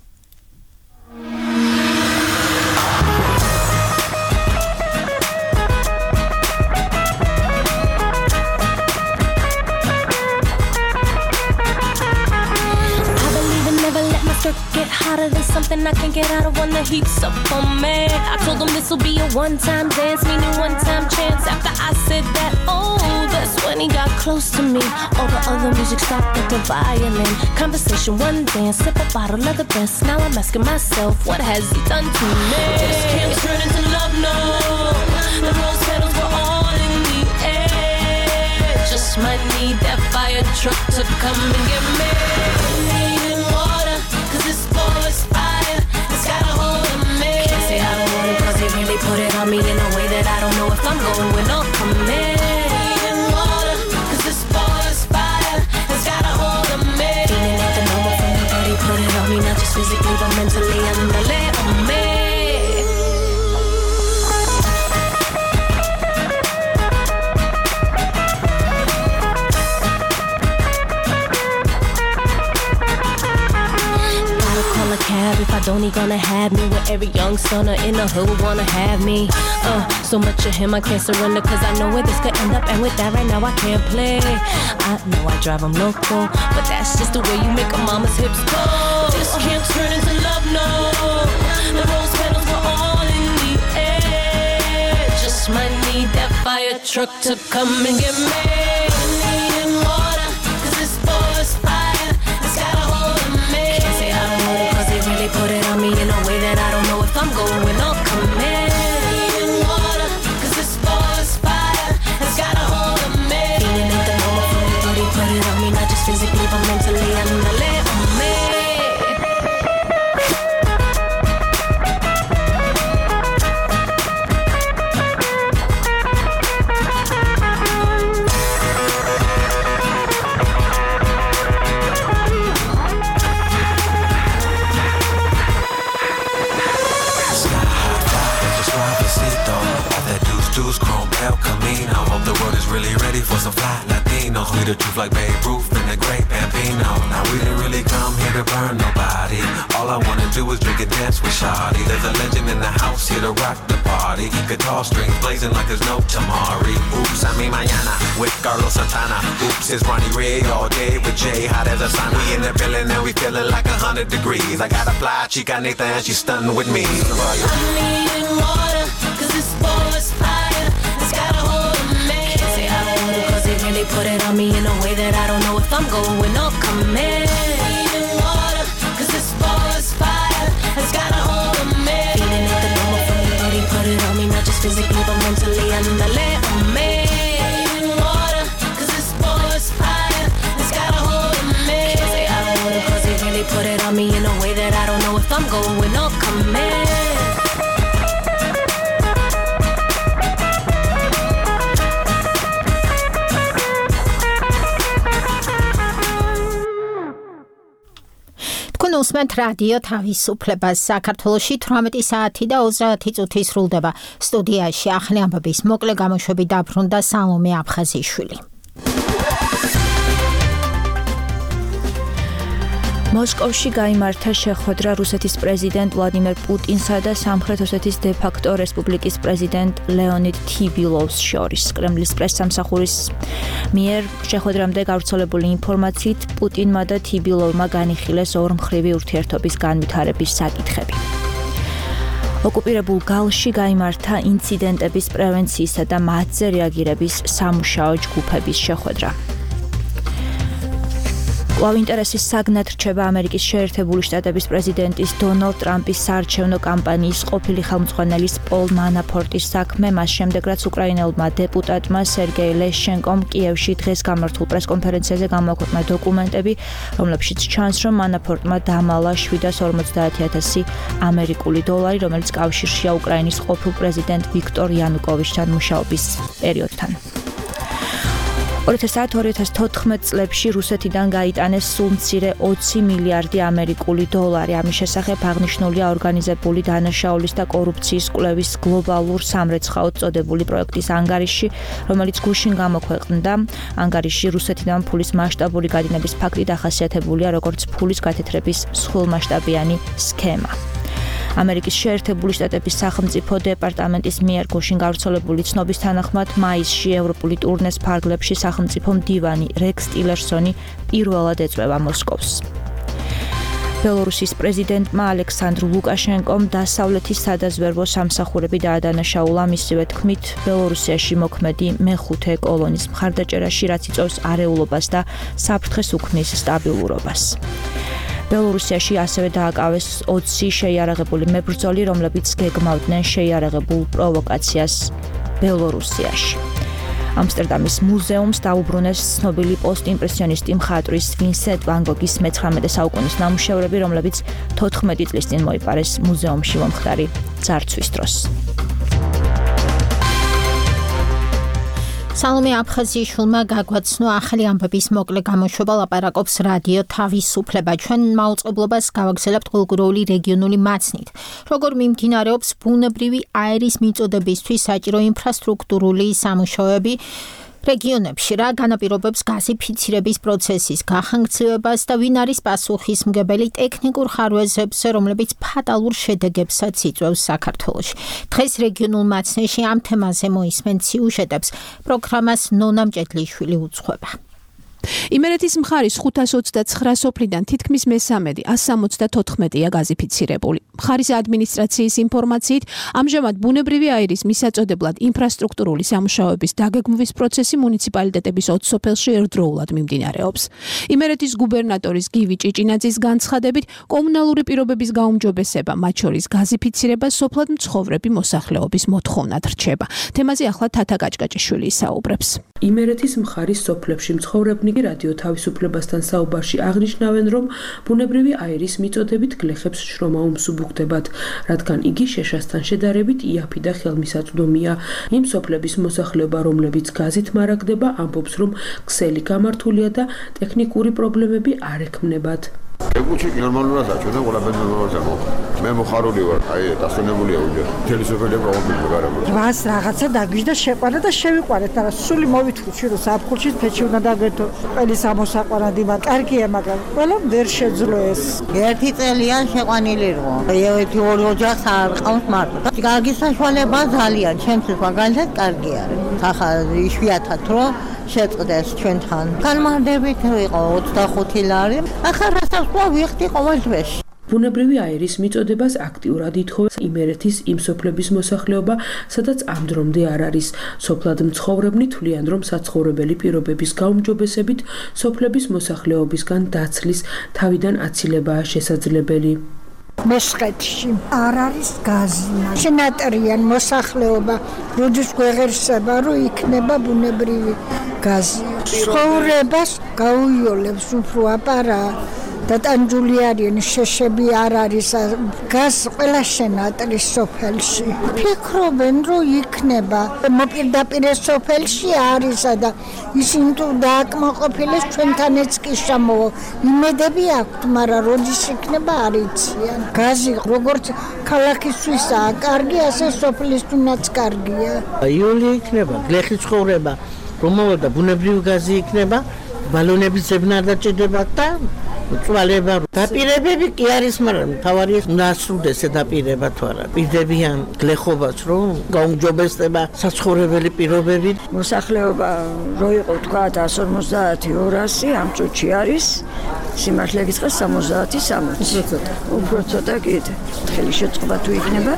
Get hotter than something I can get out of when the heat's up on me. I told them this'll be a one-time dance, meaning one-time chance. After I said that, oh, that's when he got close to me. All the other music stopped at the violin. Conversation, one dance, sip a bottle of the best. Now I'm asking myself, what has he done to me? This can't turn into love, no. The rose petals were all in the air. Just might need that fire truck to come and get me. This boy's fire, it's got a hold of me. Can't say I don't want it, cause he really put it on me in a way that I don't know if I'm going with or coming. Water, cause this boy's fire, it's got a hold of me. Feeling like the normal from the body, put it on me, not just physically, but mentally, andale on me. If I don't, he gonna have me with every young stunner in the hood wanna have me. Uh, so much of him I can't surrender, cause I know where this could end up, and with that right now I can't play. I know I drive him loco, but that's just the way you make a mama's hips go. This can't turn into love, no. The rose petals were all in the air. Just might need that fire truck to come and get me. Needing water, cause this boy's fire, it's got a hold of me. Can't say I don't want it, cause they really put it on me in a way that I don't know if I'm going with or coming. Needing water, cause this boy's fire, it's got a hold of me. Feeling like the normal from me, but he put it on me, not just physically, but mentally, I'm gonna let on me. Really ready for some fly Latinos. We the truth like Babe Ruth and the great Bambino. Now we didn't really come here to burn nobody. All I wanna do is drink and dance with Shawty. There's a legend in the house here to rock the party. Guitar strings blazing like there's no tomorrow. Oops, I mean mañana with Carlos Santana. Oops, it's Ronnie Ray all day with Jay. Hot as a sun. We in the building and we feeling like a hundred degrees. I got a fly chica Nathan and she's stunning with me. I'm needing water, cause this boy's fire, it's got a hold of me. Can't say I don't want it, cause they really put it on me in a way that I don't know if I'm going or coming. Needing water, cause this has got a hold of me. Feeling like the number from your body, put it on me, not just physically but mentally. Andale on me. Water, cause this boy's fire has got a hold of me. Can't say I don't want it cause he really put it on me in a way that I don't know if I'm going or coming. უსმენთ რადიო თავისუფლებას საქართველოში თვრამეტი საათი და ოცდაათი წუთი სრულდება. სტუდიაში ახალი ამბების მოკლე გამოშვებით დაბრუნდა სალომე აფხაზიშვილი. მოსკოვში გაიმართა შეხვედრა რუსეთის პრეზიდენტ ვლადიმერ პუტინსა და სამხრეთ ოსეთის დე-ფაქტო რესპუბლიკის პრეზიდენტ ლეონიდ თიბილოვს შორის. კრემლის პრესსამსახურის მიერ შეხვედრამდე გავრცელებული ინფორმაციით პუტინმა და თიბილოვმა განიხილეს ორმხრივი ურთიერთობის განვითარების საკითხები. ოკუპირებულ გალში გაიმართა ინციდენტების პრევენციისა და მათზე რეაგირების სამუშაო ჯგუფების შეხვედრა. კვლავ ინტერესის საგნად რჩება ამერიკის შეერთებული შტატების პრეზიდენტის დონალდ ტრამპის საარჩევნო კამპანიის ყოფილი ხელმძღვანელის პოლ მანაფორტის საქმე, მას შემდეგ რაც უკრაინელმა დეპუტატმა სერგეი ლეშჩენკომ კიევში დღეს გამართულ პრესკონფერენციაზე გამოაქვეყნა დოკუმენტები, რომლებშიც ჩანს, რომ მანაფორტმა დამალა შვიდას ორმოცდაათი ათასი ამერიკული დოლარი, რომელიც კავშირშია უკრაინის ყოფილ პრეზიდენტ ვიქტორ იანუკოვიჩთან მუშაობის პერიოდთან. ორი ათას თოთხმეტ წლებში რუსეთიდან გაიტანეს სულ მცირე ოცი მილიარდი ამერიკული დოლარი. ამის შესახებ აღნიშნულია ორგანიზებული დანაშაულის და კორუფციის კვლევის გლობალურ სამრეცხაოდ წოდებული პროექტის ანგარიში, რომელიც გუშინ გამოქვეყნდა. ანგარიში რუსეთიდან ფულის მასშტაბური გადინების ფაქტი დახასიათებულია როგორც ფულის გათეთრების სრულმასშტაბიანი სქემა. ამერიკის შეერთებული შტატების სახელმწიფო დეპარტამენტის მიერ გუშინ გავრცელებული ცნობის თანახმად მაისში ევროპული ტურნეს ფარგლებში სახელმწიფო მდივანი რექს ტილერსონი პირველად ეწვევა მოსკოვს. ბელორუსის პრეზიდენტმა ალექსანდრ ლუკაშენკომ დასავლეთის სადაზვერვო სამსახურები დაადანაშაულა, მისივე თქმით, ბელორუსიაში მოქმედი მეხუთე კოლონის მხარდაჭერაში, რაც იწვევს არეულობას და საფრთხეს უქმნის სტაბილურობას. ბელორუსიაში ასევე დააკავეს ოცი შეიარაღებული მებრძოლი, რომლებიც გეგმავდნენ შეიარაღებულ პროვოკაციას ბელორუსიაში. ამსტერდამის მუზეუმს დაუბრუნეს ცნობილი პოსტიმპრესიონისტი მხატვრის ვინსენტ ვან გოგის მეცხრამეტე საუკუნის ნამუშევრები, რომლებიც თოთხმეტი წლის წინ მოიპარეს მუზეუმში მომხდარი ძარცვის დროს. სალომე აფხაზიშვილმა გაგვაცნო ახალი ამბების მოკლე გამოშვება, ლაპარაკობს რადიო თავისუფლება. ჩვენ მაუწყებლობას გავაგზავნებთ გულგროვილი რეგიონული მაცნით. როგორ მიმდინარეობს ბუნებრივი აერის მიწოდებისთვის საჭირო ინფრასტრუქტურული სამუშაოები რეგიონებში, რა განაპირობებს გაზიფიცირების პროცესის გახანგრძლივებას და ვინ არის პასუხისმგებელი ტექნიკურ ხარვეზებზე, რომლებიც ფატალურ შედეგებსაც იწვევს საქართველოში. დღეს რეგიონულ მაცნეში ამ თემაზე მოისმენთ სიუჟეტებს, პროგრამას ნონა მჭედლიშვილი უძღვება. იმერეთის მხარის ხუთას ოცდაცხრა სოფლიდან თითქმის მესამედი ას სამოცდათოთხმეტია გაზიფიცირებული. მხარის ადმინისტრაციის ინფორმაციით, ამჟამად ბუნებრივი აირის მისაწოდებლად ინფრასტრუქტურული სამუშაოების დაგეგმვის პროცესი მუნიციპალიტეტების ოც სოფელში ერთდროულად მიმდინარეობს. იმერეთის გუბერნატორის გივი ჭიჭინაძის განცხადებით, კომუნალური პირობების გაუმჯობესება, მათ შორის გაზიფიცირება სოფლად მცხოვრები მოსახლეობის მოთხოვნად რჩება. თემაზე ახლა თათა გაჭკაჭიშვილი ისაუბრებს. იმერეთის მხარის სოფლებში მცხოვრებნი რადიო თავისუფლებასთან საუბარში აღნიშნავენ, რომ ბუნებრივი აირის მიწოდებით გლეხებს შრომა უმსუბუქდებათ, რადგან იგი შეშასთან შედარებით იაფი და ხელმისაწვდომია. იმ სოფლების მოსახლეობა, რომლებიც გაზით მარაგდება, ამბობს, რომ ქსელი გამართულია და ტექნიკური პრობლემები არ ექმნებათ. ეგუჩი ნორმალურად აჩვენა, ყველაფერი ნორმალურად აღმოჩნდა. მე მოხარული ვარ, აი დასვენებულია უჯერ. მთელი სოფელი პრობლემა გარემო. რას რაღაცა დაგვიჟდა შეყვანა და შევიყვანეთ, მაგრამ სული მოვიტყვი, რომ საფხულში ფეჩი უნდა დაგვეთო. ყველი სამოსაყვანადი მაგ კარგია, მაგრამ ყველამ ვერ შეძლო ეს. ერთი წელია შეყვანილი იყო. ერთი ორი ოჯახს არ ყავს მარტო. კარგი საშუალება ძალიან, ჩემთვის მაგალითად კარგი არის. ახლა იშვიათად რომ შეწყდეს ჩვენთან. განმარტებით იყო ოცდახუთი ლარი. ახლა რასაც ვიხდი ყოველ დღეში. ბუნებრივი აირის მიწოდებას აქტიურად ითხოვს იმერეთის იმ სოფლების მოსახლეობა, სადაც ამ დრომდე არ არის. სოფლად მცხოვრებნი თვლიან, რომ საცხოვრებელი პირობების გაუმჯობესებით სოფლების მოსახლეობისგან დაცლის თავიდან აცილებაა შესაძლებელი. მესხეთში არ არის გაზი. შენატრიან მოსახლეობა როდის გვეღერსება, რომ იქნება ბუნებრივი გაზი. ცხოვრებას გაუიოლებს უფრო აპარა და ტანჯული არიან, შეშები არ არის. გაზ ყველა შენატრის სოფელში. ფიქრობენ, რომ იქნება მოპირდაპირ სოფელში არისა და ისინი თუ დააკმაყოფილეს ჩვენთანაც კი შემოვა. იმედები აქვთ, მაგრამ როდის იქნება არ იციან. გაზი როგორც ქალაქისთვისაა კარგი, ასე სოფლისთვისაც კარგია. იული იქნება, გლეხი ცხოვრება, რომავა და ბუნებრივი გაზი იქნება, ბალონების ზებნა არ დაჭირდება და წვალება. დაპირებები კი არის, მაგრამ თავარია ნასრულდეს დაპირება თუ არა. პირდებიან გლეხობას, რომ გაუმჯობესდება საცხოვრებელი პირობები. მოსახლეობა რო იყო თქვა εκατს ორმოცდაათი ორასი, ამ წუთში არის სიმართლე გითხრას სამოცდაათი სამოცი. უფრო ცოტა კიდე. ხელი შეწყობა თუ იქნება,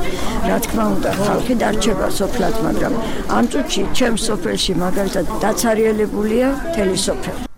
რა თქმა უნდა, ხალხი დარჩება სოფლად, მაგრამ ამ წუთში ჩემს სოფელში მაგალითად დაცარიელებულია მთელი სოფელი.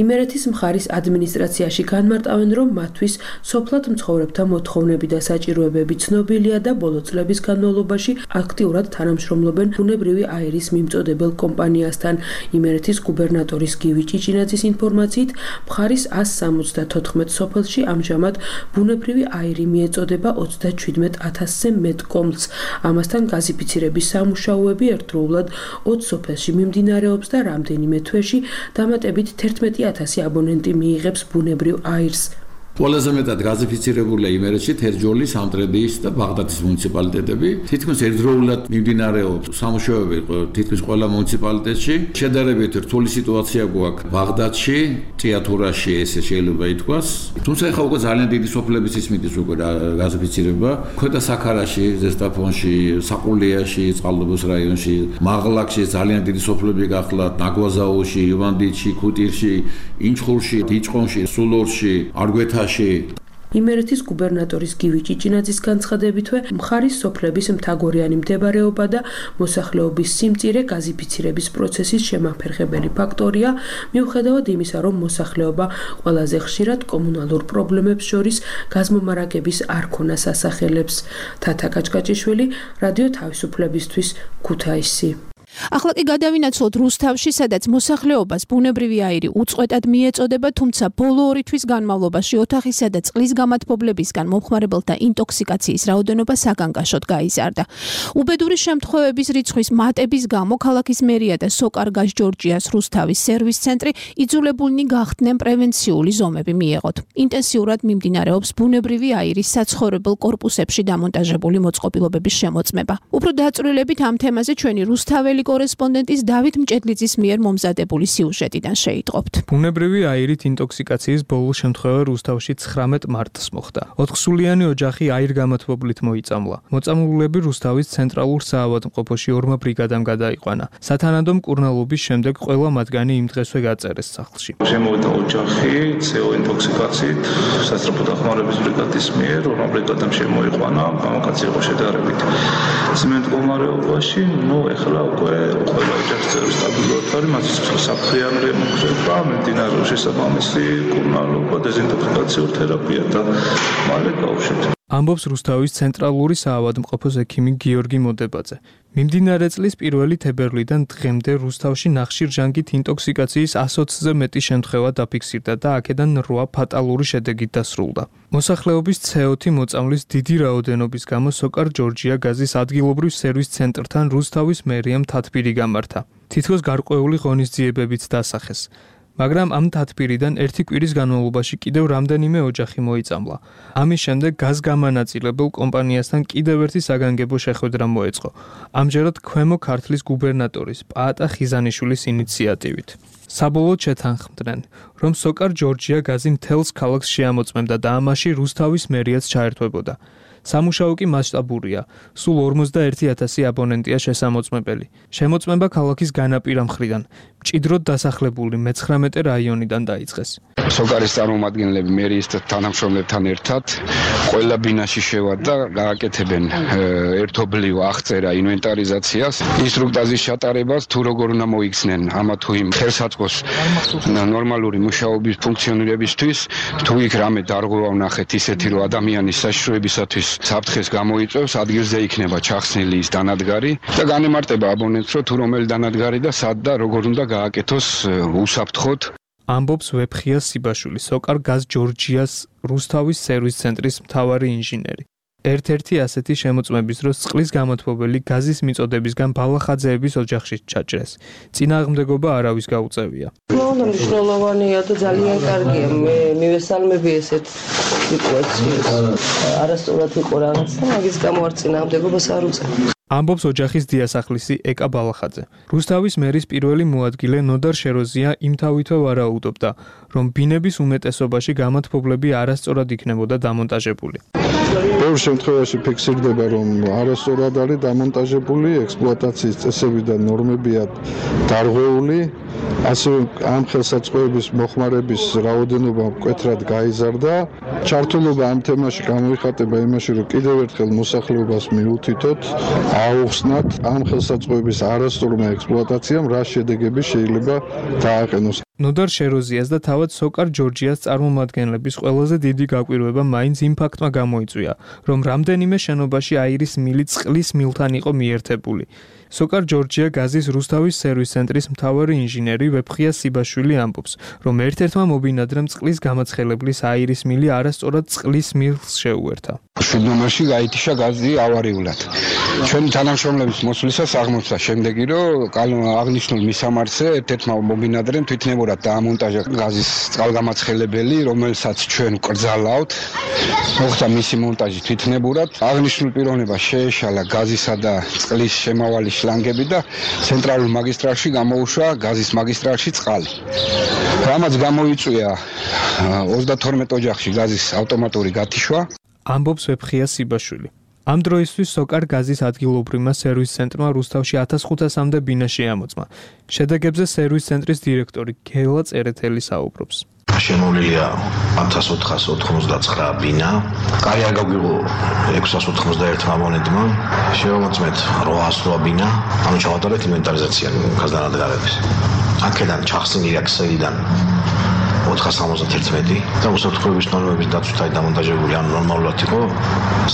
იმერეთის მხარის ადმინისტრაციაში განმარტავენ, რომ მათთვის სოფლად მცხოვრებთა მოთხოვნები და საჭიროებები ცნობილია და ბოლო წლების განმავლობაში აქტიურად თანამშრომლობენ ბუნებრივი აირის მიმწოდებელ კომპანიასთან. იმერეთის გუბერნატორის გივი ჭიჭინაძის ინფორმაციით, მხარის ასს სამოცდათოთხმეტ სოფელში ამჟამად ბუნებრივი აირი მიეწოდება ოცდაჩვიდმეტ ათასზე მეტ კომლს. ამასთან გაზიფიცირების სამუშაოები ერთდროულად ოც სოფელში მიმდინარეობს და რამდენიმე თვეში დამატებით თერთმეტი ათასი აბონენტი მიიღებს ბუნებრივ აირს. ყველაზე მეტად გაზიფიცირებულია იმერეთში თერჯოლის, სამტრედიის და ბაღდადის მუნიციპალიტეტები. თითქმის ერთდროულად მიმდინარეობს სამუშაოები თითქმის ყველა მუნიციპალიტეტში. შედარებით რთული სიტუაცია გვაქვს ბაღდადში, ჭიათურაში, ესე შეიძლება ითქვას. თუმცა ახლა უკვე ძალიან დიდი სოფლების ისმის უკვე გაზიფიცირება. ქვედა საქარაში, ზესტაფონში, საყულიაში, წყალდობოს რაიონში, მაღლაკში ძალიან დიდი სოფლები გახლავთ, ნაგვაზაოში, ივანდიჩი, ქუტირში, ინჩხურში, დიჭყონში, სულორში, არგვეთაში. იმერეთის გუბერნატორის გივი ჭიჭინაძის განცხადებითვე, მხარის სოფლების მთაგორიანი მდებარეობა და მოსახლეობის სიმწირე გაზიფიცირების პროცესის შემაფერხებელი ფაქტორია, მიუხედავად იმისა, რომ მოსახლეობა ყველაზე ხშირად კომუნალურ პრობლემებს შორის გაზმომარაგების არ ქონას ასახელებს. თათა კაჭკაჭიშვილი, რადიო თავისუფლებისთვის, ქუთაისი. ახლა კი გადავინაცვლოთ რუსთავში, სადაც მოსახლეობას ბუნებრივი აირი უწყვეტად მიეწოდება, თუმცა ბოლო ორი თვის განმავლობაში ოთახისა და წყლის გამათბობლებისგან მომხმარებელთა ინტოქსიკაციის რაოდენობა საგანგაშოდ გაიზარდა. უბედური შემთხვევების რიცხვის მატების გამო ქალაქის მერია და სოკარგას ჯორჯიას რუსთავის სერვის ცენტრი იძულებულნი გახდნენ პრევენციული ზომები მიეღოთ. ინტენსიურად მიმდინარეობს ბუნებრივი აირის საცხოვრებელ კორპუსებში დამონტაჟებული მოწყობილობების შემოწმება. უფრო დაწვრილებით ამ თემაზე ჩვენი რუსთაველი კორესპონდენტის დავით მჭედლიძის მიერ მომზადებული სიუჟეტიდან შეიტყობთ. ბუნებრივი აირით ინტოქსიკაციის ბოლო შემთხვევა რუსთავში ცხრამეტ მარტს მოხდა. ოთხსულიანი ოჯახი აირგამათბობლით მოიწამლა. მოწამლულები რუსთავის ცენტრალურ საავადმყოფოში ორმა ბრიგადამ გადაიყვანა. სათანადო მკურნალობის შემდეგ ყველა მათგანი იმ დღესვე გაწერეს სახლში. შემოვიდა ოჯახი ცეო ინტოქსიკაციით სასწრაფო დახმარების ბრიგადის მიერ, ორმა ბრიგადამ შემოიყვანა, მამაკაცი იყო შედარებით ციმენტ მდგომარეობაში, ნუ ეხლა უკვე ყველა ოჯახის წევრი სტაბილურად არის, მათ სიცოცხლე საფრთხიანი რემონტება, მიმდინარეობს შესაბამისი მკურნალობა, დეზინტოქსიკაციურ თერაპია და მალე გავუშვით. ამბობს რუსთავის ცენტრალური საავადმყოფოს ექიმი გიორგი მოდებაძე. მიმდინარე წლის პირველი თებერვლიდან დღემდე რუსთავში ნახშირჟანგით ინტოქსიკაციის ასოცზე მეტი შემთხვევა დაფიქსირდა და აქედან რვა ფატალური შედეგით დასრულდა. მოსახლეობის ცეოთი მოწამვლის დიდი რაოდენობის გამო სოკარ ჯორჯია გაზის ადგილობრივ სერვის ცენტრთან რუსთავის მერიამ თათბირი გამართა. თითქოს გარკვეული ღონისძიებებიც დასახეს. მაგრამ ამ თათბირიდან ერთი კვირის განმავლობაში კიდევ რამდენიმე ოჯახი მოიწამლა. ამის შემდეგ გაზგამანაწილებელ კომპანიასთან კიდევ ერთი საგანგებო შეხვედრა მოეწყო. ამჯერად ქვემო ქართლის გუბერნატორის პაატა ხიზანიშვილის ინიციატივით. საბოლოოდ შეთანხმდნენ, რომ სოკარ ჯორჯია გაზი მთელს ქალაქს შეამოწმებდა და ამაში რუსთავის მერიაც ჩაერთვებოდა. სამუშაო კი მასშტაბურია. სულ ორმოცდაერთი ათასი აბონენტია შესამოწმებელი. შემოწმება ქალაქის განაპირა მხრიდან. მჭიდროდ დასახლებული მეცხრამეტე რაიონიდან დაიწყეს. სოკარის წარმომადგენლები მერიის თანამშრომლებთან ერთად ყველა ბინაში შევა და გააკეთებენ ერთობლივ აღწერა ინვენტარიზაციას, ინსტრუქტაჟის ჩატარებას, თუ როგორ უნდა მოიქცნენ ამა თუ იმ ხელსაწყოს ნორმალური მუშაობის ფუნქციონირებისთვის, თუ იქ რამე დარღვევა ვნახეთ ისეთი, რომ ადამიანის საშიშროებისათვის საფრთხეს გამოიწვევს, ადგილზე იქნება ჩახსნილი ის დანადგარი და განემარტება აბონენტს, რომ თუ რომელი დანადგარი და სად და როგორ უნდა გააკეთოს უსაფრთხოდ. ამბობს ვეფხია სიბაშვილი, სოკარ გაზ ჯორჯიას რუსთავის სერვის ცენტრის მთავარი ინჟინერი. ერთ-ერთი ასეთი შემოწმების დროს წყლის გამოთბობელი გაზის მიწოდებისგან ბალახაძეების ოჯახში ჩაჭრეს. წინააღმდეგობა არავის გაუწევია. უნდა მნიშვნელოვანია და ძალიან კარგია. მე მივესალმები ესეთ სიტუაციას. არასწორად იყო რაღაც და მაგის გამო არ წინააღმდეგობას არ უწევ. ამბობს ოჯახის დიასახლისი ეკა ბალახაძე. რუსთავის მერის პირველი მოადგილე ნოდარ შეროზია იმთავითვე ვარაუდობდა, რომ ბინების უმეტესობაში გამოთბობლები არასწორად იქნებოდა დამონტაჟებული. ბევრ შემთხვევაში ფიქსირდება, რომ არასწორად არის დამონტაჟებული, ექსპლუატაციის წესები და ნორმებია დარღვეული, ასევე ამ ხელსაწყოების მოხმარების რაოდენობა მკვეთრად გაიზარდა. ჩართულობა ამ თემაში გამოიხატება იმაში, რომ კიდევ ერთხელ მოსახლეობას მიუთითოთ, აუხსნათ ამ ხელსაწყოების არასწორმა ექსპლუატაციამ რა შედეგები შეიძლება დააყენოს. ნოდარ შეროზიას და თავად სოკარ ჯორჯიას წარმომადგენლების ყველაზე დიდი გაკვირვება მაინც იმ ფაქტმა გამოიწვია, რომ რამდენიმე შენობაში აირის მილი წყლის მილთან იყო მიერთებული. სოკარ ჯორჯია გაზის რუსთავის სერვის ცენტრის მთავარი ინჟინერი ვეფხია სიბაშვილი ამბობს, რომ ერთ-ერთმა მობინადრემ წყლის გამაცხელებლის აირის მილი არასწორად წყლის მილს შეუერთა. შვიდ ნომერში გაითიშა გაზი ავარიულად. ჩვენი თანამშრომლების მოსვლისას აღმოჩნდა შემდეგი, რომ აღნიშნულ მისამართზე ერთ-ერთმა მობინადრემ თვითნებურად დაამონტაჟა გაზის წყალგამაცხელებელი, რომელსაც ჩვენ ვკრძალავთ. მოხდა მისი მონტაჟი თვითნებურად. აღნიშნულ პიროვნებას შეეშალა გაზისა და წყლის შემავალი შლანგები და ცენტრალურ მაგისტრალში გამოუშვა გაზის მაგისტრალში წყალი. რამაც გამოიწვია ოცდათორმეტ ოჯახში გაზის ავტომატური გათიშვა. ამბობს ვეფხია სიბაშვილი. ამ დროისთვის სოკარ გაზის ადგილობრივმა სერვის ცენტრმა რუსთავში ათას ხუთასამდე ბინა შეამოწმა. შედეგებზე სერვის ცენტრის დირექტორი გელა წერეთელი საუბრობს. შემოვლილია ათას ოთხას ოთხმოცდაცხრა ბინა. კაი არ გაგვიღო ექვსას ოთხმოცდაერთმა აბონენტმა. შევამოწმეთ რვაას რვა ბინა. ანუ ჩავატარეთ ინვენტარიზაცია გაზდანადგარების. აქედან ჩახსნილი აქსელიდან ოთხას სამოცდაერთმეტი და უსაფრთხოების ნორმების დაცვით აი დამონტაჟებული, ანუ ნორმალურად იყო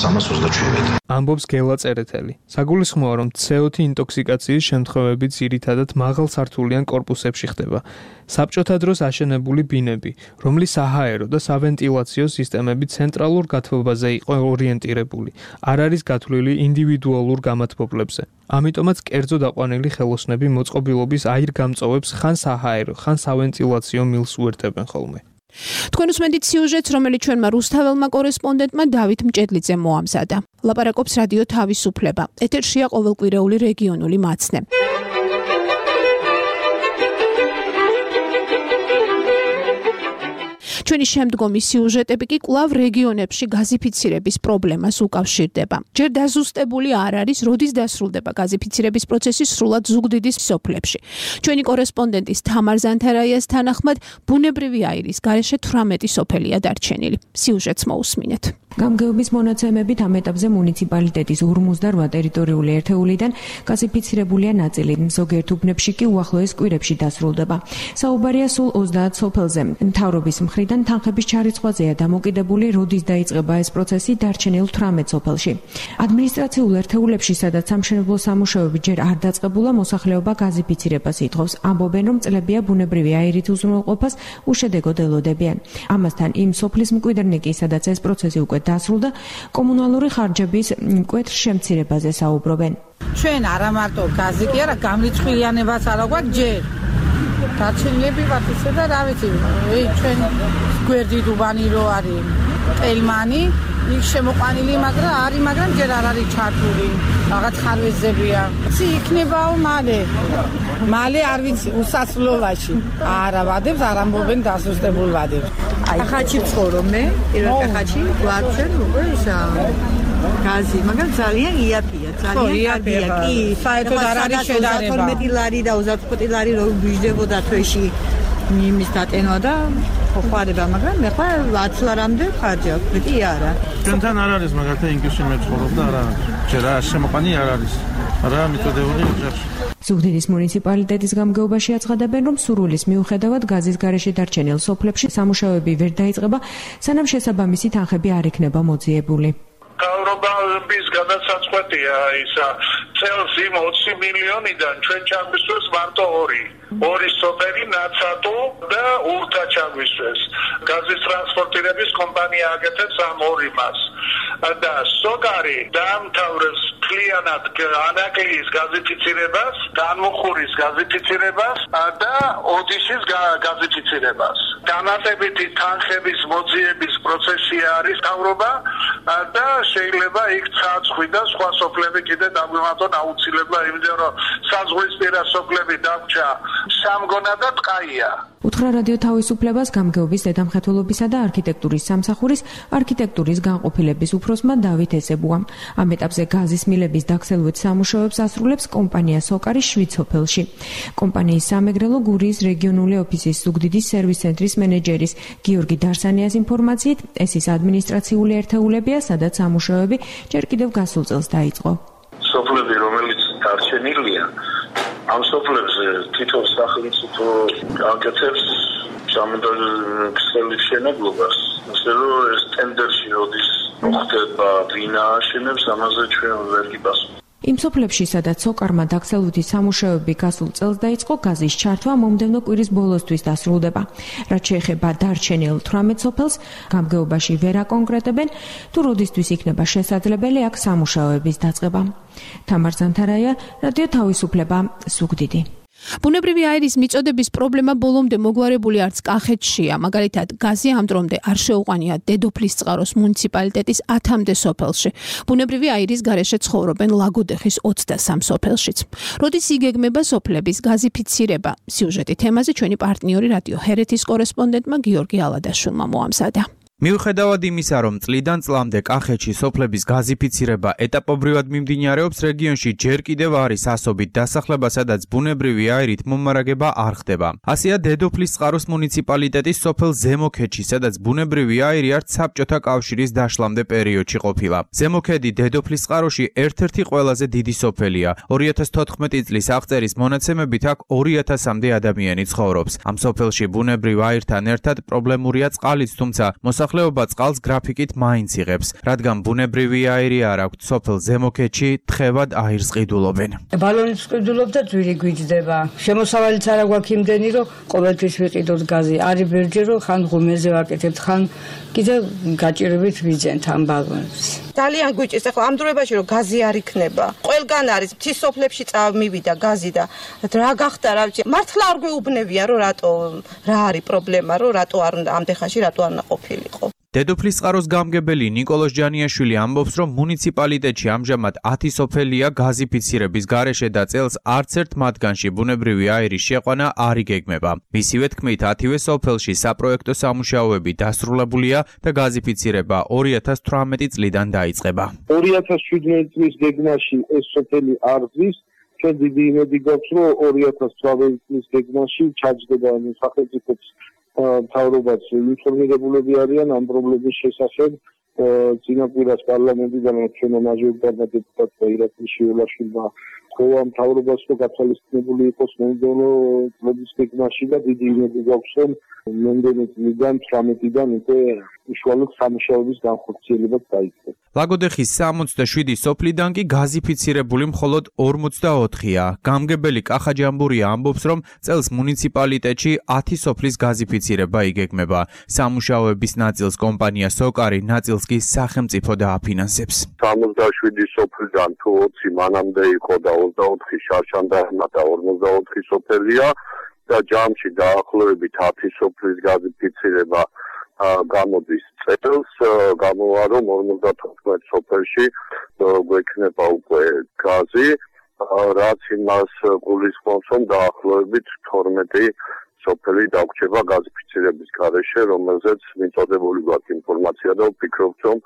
სამას ოცდაშვიდმეტი. ამბობს გელა წერეთელი. საგულისხმოა, რომ ცე ოთხ ინტოქსიკაციის შემთხვევები ძირითადად მაღალსართულიან კორპუსებში ხდება. საბჭოთა დროს აშენებული ბინები, რომლის საჰაერო და სავენტილაციო სისტემები ცენტრალურ გათბობაზე იყო ორიენტირებული, არ არის გათვლილი ინდივიდუალურ გამათბობლებზე. ამიტომაც კერძო დაყვანილი ხელოსნები მოწყობილობის აირგამწოვებს ხან საჰაერო, ხან სავენტილაციო მილს უერთებენ ხოლმე. თქვენ უსმენთ სიუჟეტს, რომელიც ჩვენმა რუსთაველმა კორესპონდენტმა დავით მჭედლიძემ მოამზადა. ლაპარაკობს რადიო თავისუფლება. ეთერშია ყოველკვირეული რეგიონული მაცნე. ჩვენი შემდგომი სიუჟეტები კი კვლავ რეგიონებში გაზიფიცირების პრობლემას უკავშირდება. ჯერ დაზუსტებული არ არის, როდის დასრულდება გაზიფიცირების პროცესი სრულად ზუგდიდის სოფლებში. ჩვენი კორესპონდენტის თამარ ზანთარაიას თანახმად, ბუნებრივი აირის გარეშე თვრამეტი სოფელია დარჩენილი. სიუჟეტს მოусმინეთ. გამგეობის მონაცემებით ამ ეტაპზე მუნიციპალიტეტის ორმოცდარვა ტერიტორიული ერთეულიდან გაზიფიცირებულია ნაწილი, ზოგიერთ უბნებში კი უახლოეს კვირებში დასრულდება. საუბარია სულ ოცდაათ სოფელზე. მთავრობის მხრიდან თანხების ჩარიცხვაზეა დამოკიდებული, როდის დაიწყება ეს პროცესი დარჩენილ თვრამეტ სოფელში. ადმინისტრაციულ ერთეულებში, სადაც სამშენებლო სამუშაოები ჯერ არ დაწყებულა, მოსახლეობა გაზიფიცირებას ითხოვს. ამბობენ, რომ წლებია ბუნებრივი აირით უზრუნველყოფას უშედეგოდ ელოდებიან. ამასთან იმ სოფლის მკვიდრნი კი, სადაც ეს პროცესი უკვე დასრულდა, კომუნალური ხარჯების მკვეთრ შემცირებაზე საუბრობენ. ჩვენ არა მარტო გაზი კი არა, გამრიცხვილიანებას არა გვაქვს ჯერ. დარჩენილები ვართ ისე და რა ვიცი, ჩვენ გვერდი დუბანი რო არის ტელმანი, იქ შემოყვანილი, მაგრამ არის, მაგრამ ჯერ არ არის ჩართული. რაღაც ხარვეზებია. ცი იქნებაო მალე. მალე არ ვიცი, უსასრულობაში. არა ვადებს, არ ამბობენ დასუსტებულ ვადებს. აი ხაჩი ცხოვრობ მე, პირველ ხაჩი, გვარჩენ უკვე ისა გაზი, მაგრამ ძალიან იაფია, ძალიან კარგია. კი, საერთოდ არ არის შედარება. ორმეტი ლარი და ოცდაოთხ ლარი რო ვიждებოდა თვეში იმის დატენვა და ხوارება, მაგრამ მე ხა ათ ლარამდე ხარჯი აქვს, მეტი არა. ჩვენთან არ არის მაგალითად ინგლისში მე ცხოვრობ და არა. ჯერა შემოყანი არ არის. რა მიწოდებული ოჯახში. ზუგდიდის მუნიციპალიტეტის გამგეობაში აცხადებენ, რომ სურვილის მიუხედავად გაზის გარეშე დარჩენილ სოფლებში სამუშაოები ვერ დაიწყება, სანამ შესაბამისი თანხები არ იქნება მოძიებული. გავრობების გადასაწყვეტია ისა წელს იმ ოცი მილიონიდან ჩვენ ჩაგვისვეს მარტო ორი. ორი სოფელი ნაცატო და ურთა ჩაგვისვეს. გაზის ტრანსპორტირების კომპანია აკეთებს ამ ორი მას. და სოკარი დაამთავრებს მთლიანად ანაკლიის გაზიფიცირებას, განმუხურის გაზიფიცირებას და ოდიშის გაზიფიცირებას. დამატებითი თანხების მოძიების პროცესი არის თავრობა და შეიძლება იქ ცაცხვი და სხვა სოფლები კიდე დაგვიმატონ აუცილებლად, იმიტომ რომ საზღვისპირა სოფლები დაგჭა სამგონა და ტყაია. უთხრა რადიო თავისუფლებას გამგეობის დედამხეთველობისა და არქიტექტურის სამსახურის არქიტექტურის განყოფილების უფროსმა დავით ესებუამ. ამ ეტაპზე გაზის მილების დაქსელვით სამუშაოებს ასრულებს კომპანია სოკარი შვიცოფელში. კომპანიის სამეგრელო გურიის რეგიონული ოფისის ზუგდიდის სერვის ცენტრის მენეჯერის გიორგი დარსანიას ინფორმაციით, ეს ის ადმინისტრაციული ერთეულებია, სადაც სამუშაოები ჯერ კიდევ გასულ წელს დაიწყო. სოფლები, რომელიც დარჩენილია, ამ სოფლებზე თვითონ სახელმწიფო აკეთებს სამონტაჟო მშენებლობას, ასე რომ ეს ტენდერში როდის მოხდება, ვინ ააშენებს, ამაზე ჩვენ ვერ გიპასუხებთ. იმ სოფლებში, სადაც სოკარმა დაქსელვითი სამუშაოები გასულ წელს დაიწყო, გაზის ჩართვა მომდევნო კვირის ბოლოსთვის დასრულდება. რაც შეეხება დარჩენილ თვრამეტ სოფელს, გამგეობაში ვერ აკონკრეტებენ, თუ როდისთვის იქნება შესაძლებელი აქ სამუშაოების დაწყება. თამარ ზანთარაია, რადიო თავისუფლება, ზუგდიდი. ბუნებრივი აირის მიწოდების პრობლემა ბოლომდე მოგვარებული არც კახეთშია. მაგალითად, გაზი ამ დრომდე არ შეუყვანია დედოფლისწყაროს მუნიციპალიტეტის ათამდე სოფელში. ბუნებრივი აირის გარეშე ცხოვრობენ ლაგოდეხის ოცდასამ სოფელშიც. როდის იგეგმება სოფლების გაზიფიცირება? სიუჟეტი თემაზე ჩვენი პარტნიორი რადიო ჰერეთის კორესპონდენტმა გიორგი ალადაშვილმა მოამზადა. მიუხედავად იმისა, რომ წლიდან წლამდე კახეთში სოფლების გაზიფიცირება ეტაპობრივად მიმდინარეობს, რეგიონში ჯერ კიდევ არის ასობით დასახლება, სადაც ბუნებრივი აირით მომარაგება არ ხდება. ასეა დედოფლისწყაროს მუნიციპალიტეტის სოფელ ზემოქედში, სადაც ბუნებრივი აირი არც საბჭოთა კავშირის დაშლამდე პერიოდში ყოფილა. ზემოქედი დედოფლისწყაროში ერთ-ერთი ყველაზე დიდი სოფელია. ორი ათას თოთხმეტი წლის აღწერის მონაცემებით აქ ორი ათასამდე ადამიანი ცხოვრობს. ამ სოფელში ბუნებრივ აირთან ერთად პრობლემურია წყალიც, თუმცა მოსახლეობა წყალს გრაფიკით მაინც იღებს, რადგან ბუნებრივი აირი არ აქვთ, სოფელ ზემოქედში თხევად აირს ყიდულობენ. ბალონიც ყიდულობ და ძვირი გვიჯდება. შემოსავალიც არ აქვს იმდენი, რომ ყოველთვის ვიყიდოთ გაზი. არის ბერჯერო, ხან ღუმელზე ვაკეთებთ, ხან კიდევ გაჭირებით ვიძენთ ამ ბალონს. ძალიან გვიჭირს, ახლა ამ დროებაში რომ გაზი არ იქნება. ყველგან არის მთის სოფლებში წამივიდა გაზი და რა გახდა, რა ვიცი, მართლა არ გვეუბნებიან, რომ რატო რა არის პრობლემა, რომ რატო არ უნდა ამდენ ხანში რატო არ უნდა ყოფილიყო. დედოფლისწყაროს გამგებელი ნიკოლოზ ჯანიაშვილი ამბობს, რომ მუნიციპალიტეტში ამჟამად ათი სოფელია გაზიფიცირების გარეშე და წელს არც ერთ მათგანში ბუნებრივი აირის შეყვანა არ იგეგმება. მისივე თქმით, ათივე სოფელში საპროექტო სამუშაოები დასრულებულია და გაზიფიცირება ორი ათას თვრამეტი წლიდან დაიწყება. ორი ათას შვიდმეტი წლის გეგმაში ეს სოფელი არ ზის, ჩვენ დიდი იმედი გვაქვს, რომ ორი ათას თვრამეტი წლის გეგმაში ჩაჯდება სახელმწიფოს მთავრობაც ინფორმირებულები არიან ამ პრობლემის შესახებ. წინა კვირას პარლამენტიდან ჩვენო მაჟორიტარმა დეპუტატმა ირაკლი შიველაშვილმა ხოვა მთავრობას, რომ გათვალისწინებული იყოს მომდევნო წლების გეგმაში და დიდი იმედი გვაქვს, რომ მომდევნო წლიდან თვრამეტიდან უკვე უშუალოდ სამუშაოების განხორციელებაც დაიწყო. ლაგოდეხის სამოცდაშვიდი სოფლიდან კი გაზიფიცირებული მხოლოდ ორმოცდაოთხია. გამგებელი კახა ჯამბურია ამბობს, რომ წელს მუნიციპალიტეტში ათი სოფლის გაზიფიცირება იგეგმება. სამუშაოების ნაწილს კომპანია სოკარი, ნაწილს კი სახელმწიფო დააფინანსებს. სამოცდაშვიდი სოფლიდან თუ ოცი მანამდე იყო და ოცდაოთხი შარშანდარმა და ორმოცდაოთხი სოფელია და ჯამში დაახლოებით ათი სოფლის გაზიფიცირება გამოდის წელს, გამოვა რომ ორმოცდათოთხმეტ სოფელში გვექნება უკვე გაზი, რაც იმას გულისხმობს, რომ დაახლოებით თორმეტი სოფელი დაგვრჩება გაზიფიცირების გარეშე, რომელზეც მიწოდებული გვაქვს ინფორმაცია და ვფიქრობთ, რომ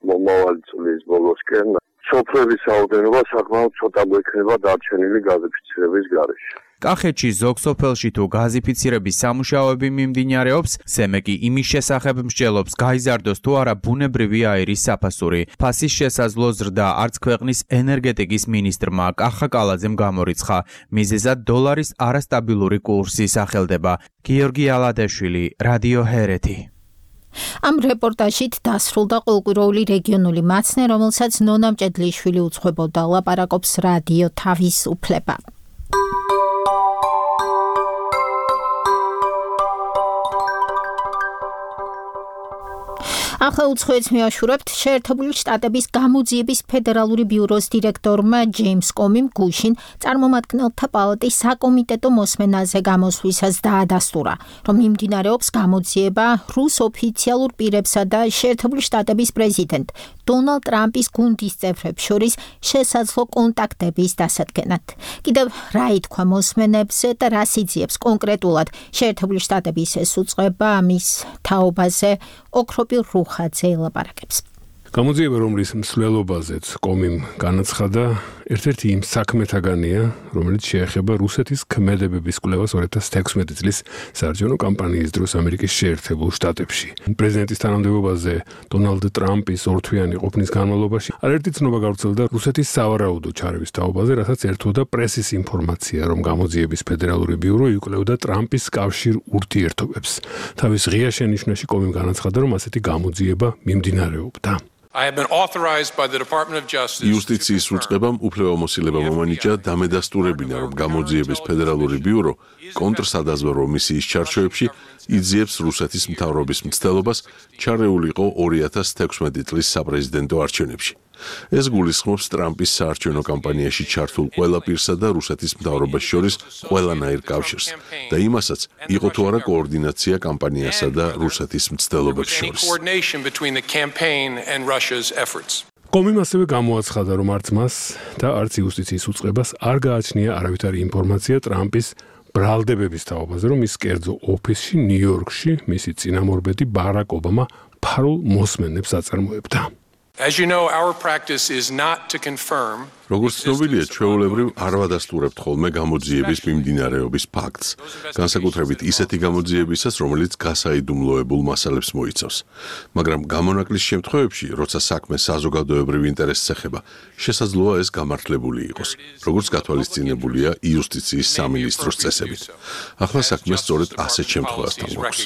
მომავალი წლის ბოლოსკენ სოფლების რაოდენობა საკმაოდ ცოტა გვექნება დარჩენილი გაზიფიცირების გარეშე. კახეთში ზოგ სოფელში თუ გაზიფიცირების სამუშაოები მიმდინარეობს, სემეკი იმის შესახებ მსჯელობს, გაიზარდოს თუ არა ბუნებრივი აირის საფასური. ფასის შესაძლო ზრდა არც ქვეყნის ენერგეტიკის მინისტრმა კახა კალაძემ გამორიცხა. მიზეზად დოლარის არასტაბილური კურსი სახელდება. გიორგი ალადეშვილი, რადიო ჰერეთი. ამ რეპორტაჟით დასრულდა ყოლკვიროული რეგიონული მაცნე, რომელსაც ნონა მჭედლიშვილი უძღვებოდა, ლაპარაკობს რადიო თავისუფლება. ახლა უცხოეთს მეაშურებთ შეერთებული შტატების გამოძიების ფედერალური ბიუროს დირექტორმა ჯეიმს კომიმ გუშინ წარმომადგენელთა პალატის საკომიტეტო მოსმენაზე გამოსვლისას დაადასტურა, რომ მიმდინარეობს გამოძიება რუს ოფიციალურ პირებსა და შეერთებული შტატების პრეზიდენტ დონალდ ტრამპის გუნდის წევრებს შორის შესაძლო კონტაქტების დასადგენად. კიდევ რა ითქვა მოსმენებზე და რას იძიებს კონკრეტულად შეერთებული შტატების ეს უწყება ამის თაობაზე ოქროპირ რუხაძე ელაპარაკებს. გამოძიება, რომლის მსვლელობაზეც კომიმ განაცხადა, ერთ-ერთი იმ საქმეთაგანია, რომელიც შეეხება რუსეთის ქმედებების კვლევას ორი ათას თექვსმეტი წლის საარჩევნო კამპანიის დროს ამერიკის შეერთებულ შტატებში. პრეზიდენტის თანამდებობაზე დონალდ ტრამპის ორთვიანი ყოფნის განმავლობაში არაერთი ცნობა გავრცელდა რუსეთის სავარაუდო ჩარევის თაობაზე, რასაც ერთვოდა პრესის ინფორმაცია, რომ გამოძიების ფედერალური ბიურო იკვლევდა ტრამპის კავშირ ურთიერთობებს. თავის ღია შენიშვნაში კომიმ განაცხადა, რომ ასეთი გამოძიება მიმდინარეობდა. იუსტიციის უწყებამ უფლებამოსილება მომანიჭა დამედასტურებინა, რომ გამოძიების ფედერალური ბიურო კონტრსადაზვერო მისიის ჩარჩოებში იძიებს რუსეთის მთავრობის მცდელობას ჩარეულიყო ორი ათას თექვსმეტი წლის საპრეზიდენტო არჩევნებში. ეს გულისხმობს ტრამპის საარჩევნო კამპანიაში ჩართულ ყველა პირსა და რუსეთის მთავრობას შორის ყველანაირ კავშირს და იმასაც, იყო თუ არა კოორდინაცია კამპანიასა და რუსეთის მცდელობებს შორის. კომიმ ასევე გამოაცხადა, რომ არც მას და არც იუსტიციის უწყებას არ გააჩნია არავითარი ინფორმაცია ტრამპის ბრალდებების თაობაზე, რომ ის კერძო ოფისში ნიუ-იორკში მისი წინამორბედი ბარაკ ობამა ფარულ მოსმენებს აწარმოებდა. როგორც ცნობილია, ჩვეულებრივ არ ვადასტურებთ ხოლმე გამოძიების მიმდინარეობის ფაქტს, განსაკუთრებით ისეთი გამოძიებისას, რომელიც გასაიდუმლოებულ მასალებს მოიცავს. მაგრამ გამონაკლის შემთხვევებში, როცა საქმე საზოგადოებრივ ინტერესს ეხება, შესაძლოა ეს გამართლებული იყოს, როგორც გათვალისწინებულია იუსტიციის სამინისტროს წესებით. ახლა საქმე სწორედ ასეთ შემთხვევასთან გვაქვს.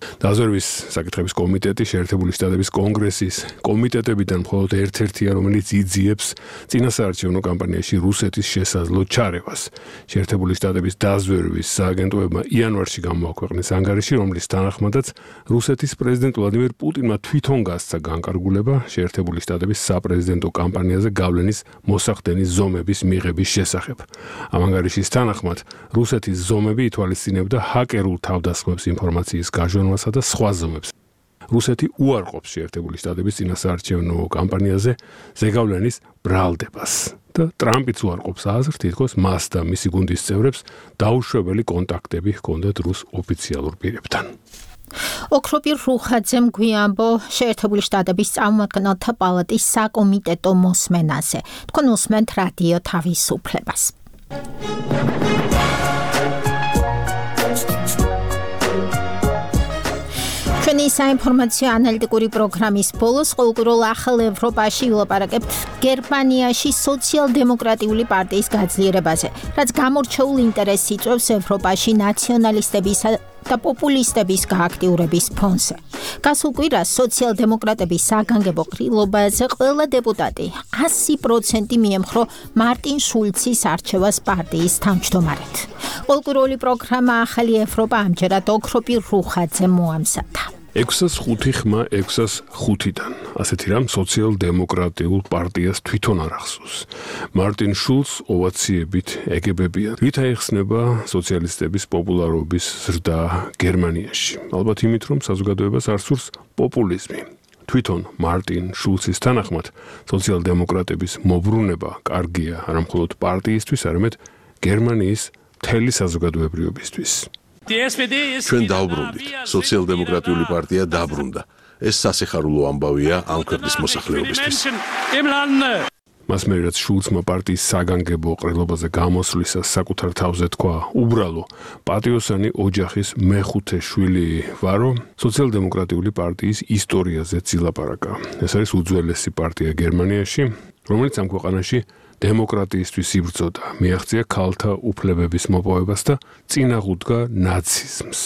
დაზვერვის საკითხების კომიტეტი შეერთებული შტატების კონგრესის კომიტეტებიდან მხოლოდ ერთ-ერთია, რომელიც იძიებს წინასაარჩევნო კამპანიაში რუსეთის შესაძლო ჩარევას. შეერთებული შტატების დაზვერვის სააგენტოებმა იანვარში გამოაქვეყნეს ანგარიში, რომლის თანახმადაც რუსეთის პრეზიდენტ ვლადიმერ პუტინმა თვითონ გასცა განკარგულება შეერთებული შტატების საპრეზიდენტო კამპანიაზე გავლენის მოსახდენის ზომების მიღების შესახებ. ამ ანგარიშის თანახმად რუსეთის ზომები ითვალისწინებდა ჰაკერულ თავდასხმებს ინფორმაციის გაჟონვას და სხვა ზომებს. რუსეთი უარყოფს შეერთებული შტატების წინასაარჩევნო კამპანიაზე ზეგავლენის ბრალდებას და ტრამპიც უარყოფს აზრს, თითქოს მას და მისი გუნდის წევრებს დაუშვებელი კონტაქტები ჰქონდათ რუს ოფიციალურ პირებთან. ოქროპირ რუხაძემ გვიამბო შეერთებული შტატების წარმომადგენელთა პალატის საკომიტეტო მოსმენაზე. თქვენ უსმენთ რადიო თავისუფლებას. ჩვენი საინფორმაციო ანალიტიკური პროგრამის ბოლოს ყოველკვირეულ ახალ ევროპაში ვილაპარაკებთ გერმანიაში სოციალ-დემოკრატიული პარტიის გაძლიერებაზე, რაც გამორჩეულ ინტერესს იწვევს ევროპაში ნაციონალისტებისა და პოპულისტების გააქტიურების ფონზე. გასულ კვირას სოციალ-დემოკრატების საგანგებო ყრილობაზე ყველა დეპუტატი ასი პროცენტი მიემხრო მარტინ შულცის არჩევას პარტიის თავმჯდომარედ. ყოველკვირეული პროგრამა ახალი ევროპა ამჯერად ოქროპირ რუხაძემ მოამზადა. ექვსას ხუთი ხმა ექვსას ხუთიდან. ასეთი რამ სოციალ-დემოკრატიულ პარტიას თვითონ არ ახსოვს. მარტინ შულც ოვაციებით ეგებებიან. რით აიხსნება სოციალისტების პოპულარობის ზრდა გერმანიაში? ალბათ იმით, რომ საზოგადოებას არ სურს პოპულიზმი. თვითონ მარტინ შულცის თანახმად სოციალ-დემოკრატების მობრუნება კარგია არა მხოლოდ პარტიისთვის, არამედ გერმანიის მთელი საზოგადოებრიობისთვის. ჩვენ დავბრუნდით. სოციალ-დემოკრატიული პარტია დაბრუნდა. ეს სასიხარულო ამბავია ამ ქვეყნის მოსახლეობისთვის. მას მერე რაც შულცმა პარტიის საგანგებო ყრილობაზე გამოსვლისას საკუთარ თავზე თქვა უბრალო პატიოსანი ოჯახის მეხუთე შვილი ვარო, სოციალ-დემოკრატიული პარტიის ისტორიაზე ცილაპარაკა. ეს არის უძველესი პარტია გერმანიაში, რომელიც ამ ქვეყანაში დემოკრატიისთვის იბრძოდა, მიაღწია ქალთა უფლებების მოპოვებას და წინააღმდა ნაციზმს.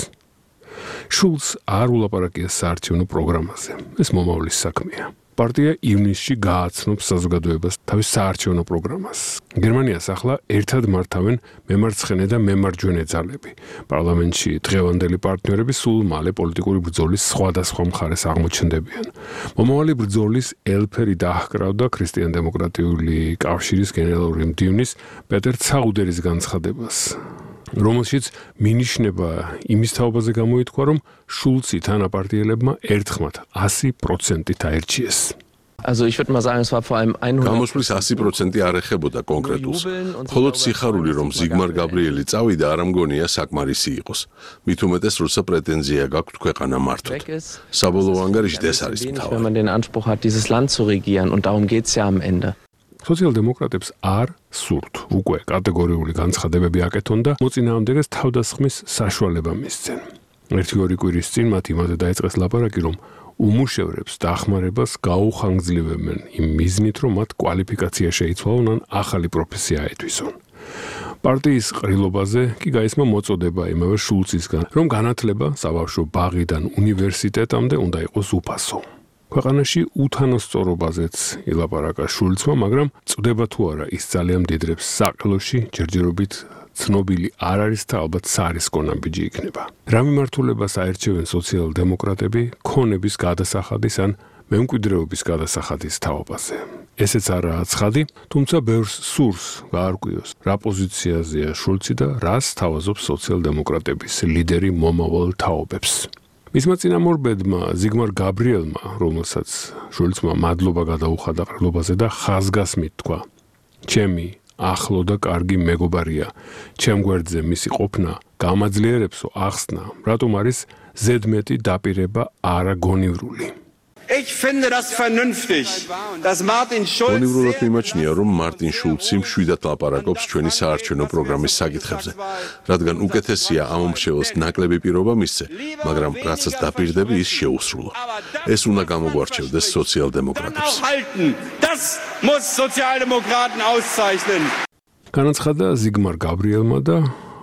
შულც არ ულაპარაკია საარჩევნო პროგრამაზე. ეს მომავლის საქმეა. პარტია ივნისში გააცნობს საზოგადოებას თავის საარჩევნო პროგრამას. გერმანიას ახლა ერთად მართავენ მემარცხენე და მემარჯვენე ძალები. პარლამენტში დღევანდელი პარტნიორები სულ მალე პოლიტიკური ბრძოლის სხვადასხვა მხარეს აღმოჩნდებიან. მომავალი ბრძოლის ელფერი დაჰკრავდა ქრისტიან-დემოკრატიული კავშირის გენერალური მდივნის პეტერ ცაუდერის განცხადებას, რომელშიც მინიშნება იმის თაობაზე გამოითქვა, რომ შულცი თანაპარტიელებმა ერთხმად ასი პროცენტით აერჩიეს. გამოსვლის ასი პროცენტი არ ეხებოდა კონკრეტულს. მხოლოდ სიხარული, რომ ზიგმარ გაბრიელი წავიდა, არ ამგონია საკმარისი იყოს. მით უმეტეს, როცა პრეტენზია გაქვთ ქვეყანა მართვით. საბოლოო ანგარიშით ეს არის მთავარი. სოციალ-დემოკრატებს არ სურთ უკვე კატეგორიული განცხადებები აკეთონ და მოწინააღმდეგეს თავდასხმის საშუალება მისცენ. ერთი ორი კვირის წინ მათ იმაზე დაიწყეს ლაპარაკი, რომ უმუშევრებს დახმარებას გაუხანგრძლივებენ იმ მიზნით, რომ მათ კვალიფიკაცია შეიცვალონ ან ახალი პროფესია აეთვისონ. პარტიის ყრილობაზე კი გაისმა მოწოდება იმავე შულცისგან, რომ განათლება საბავშვო ბაღიდან უნივერსიტეტამდე უნდა იყოს უფასო. ქვეყანაში უთანასწორობაზეც ილაპარაკა შულცმა, მაგრამ წდება თუ არა ის ძალიან მდიდრებს საყელოში ჯერჯერობით ცნობილი არ არის და ალბათ სარისკო ნაბიჯი იქნება. რა მიმართულებას აერჩევენ სოციალ-დემოკრატები ქონების გადასახადის ან მემკვიდრეობის გადასახადის თაობაზე. ესეც არაა ცხადი, თუმცა ბევრს სურს გაარკვიოს, რა პოზიციაზეა შულცი და რას თავაზობს სოციალ-დემოკრატების ლიდერი მომავალ თაობებს. მისმა წინამორბედმა ზიგმარ გაბრიელმა, რომელსაც შულცმა მადლობა გადაუხადა ყრილობაზე და ხაზგასმით თქვა: ჩემი ახლო და კარგი მეგობარია, ჩემ გვერდზე მისი ყოფნა გამაძლიერებსო ახსნა, რატომ არის ზედმეტი დაპირება არაგონივრული. Ich finde das vernünftig, dass Martin Schulz გონივრულად მიმაჩნია, რომ მარტინ შულცი მშვიდად ლაპარაკობს ჩვენი საარჩევნო პროგრამის საკითხებზე, რადგან უკეთესია ამ მომრჩეველს ნაკლები პირობა მისცე, მაგრამ რაცაც დაპირდები ის შეუსრულო. ეს უნდა გამოგვარჩევდეს სოციალ-დემოკრატებს. Das muss Sozialdemokraten auszeichnen. განაცხადა ზიგმარ გაბრიელმა და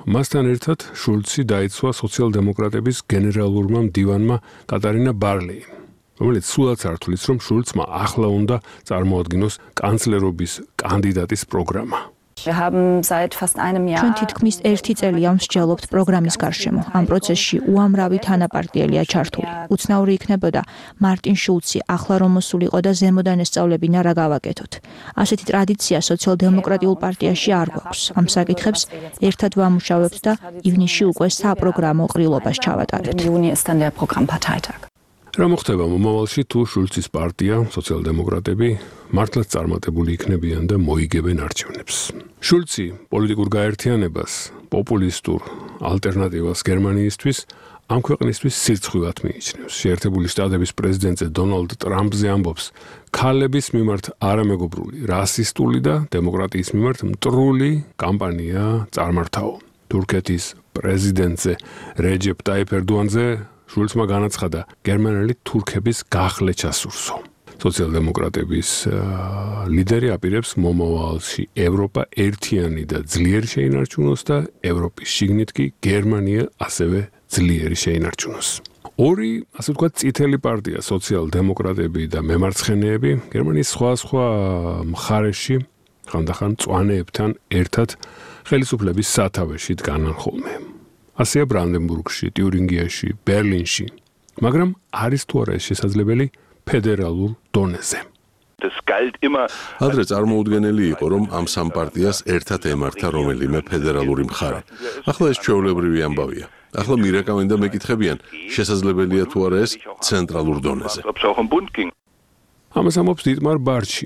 მასთან ერთად შულცი დაიცვა სოციალ-დემოკრატების გენერალურმა მდივანმა კატარინა ბარლეიმ, რომელიც სულაც არ თulis, რომ შულცმა ახლა უნდა წარმოადგინოს კანცლერობის კანდიდატის პროგრამა. ჩვენ თითქმის ერთი წელია მსჯელობთ პროგრამის გარშემო. ამ პროცესში უამრავი თანაპარტიელია ჩართული. უცნაური იქნებოდა მარტინ შულცი ახლა რომ მოსულიყო და ზემოდან ესწავლებინა რა გავაკეთოთ. ასეთი ტრადიცია სოციალ-დემოკრატიულ პარტიაში არ გვაქვს. ამ საკითხებს ერთად ვამუშავებთ და ივნისში უკვე საპროგრამო ყრილობას ჩავატარებთ. რა მოხდება მომავალში თუ შულცის პარტია, სოციალ-დემოკრატები მართლაც წარმატებული იქნებიან და მოიგებენ არჩევნებს. შულცი პოლიტიკურ გაერთიანებას, პოპულისტურ ალტერნატივას გერმანიისთვის ამ ქვეყნისთვის სირცხვილად მიიჩნევს. შეერთებული შტატების პრეზიდენტზე დონალდ ტრამპზე ამბობს, ქალების მიმართ არამეგობრული, რასისტული და დემოკრატიის მიმართ მტრული კამპანია წარმართაო. თურქეთის პრეზიდენტზე რეჯეპ ტაიფ ერდოანზე შულცმა განაცხადა, გერმანელი თურქების გახლეჩა სურსო. სოციალ-დემოკრატების ლიდერი აპირებს მომავალში ევროპა ერთიანი და ძლიერი შეინარჩუნოს და ევროპის შიგნით კი გერმანია ასევე ძლიერი შეინარჩუნოს. ორი, ასე ვთქვათ, წითელი პარტია, სოციალ-დემოკრატები და მემარცხენეები გერმანიის სხვა სხვა მხარეში ხანდახან მწვანეებთან ერთად ხელისუფლების სათავეში დგანან ხოლმე. ასეა ბრანდენბურგში, ტიურინგიაში, ბერლინში, მაგრამ არის თუ არა ეს შესაძლებელი ფედერალურ დონეზე. ადრე წარმოუდგენელი იყო, რომ ამ სამ პარტიას ერთად ემართა რომელიმე ფედერალური მხარე. ახლა ეს ჩვეულებრივი ამბავია. ახლა მირეკავენ და მეკითხებიან, შესაძლებელია თუ არა ეს ცენტრალურ დონეზე. ამას ამბობს დიტმარ ბარჩი,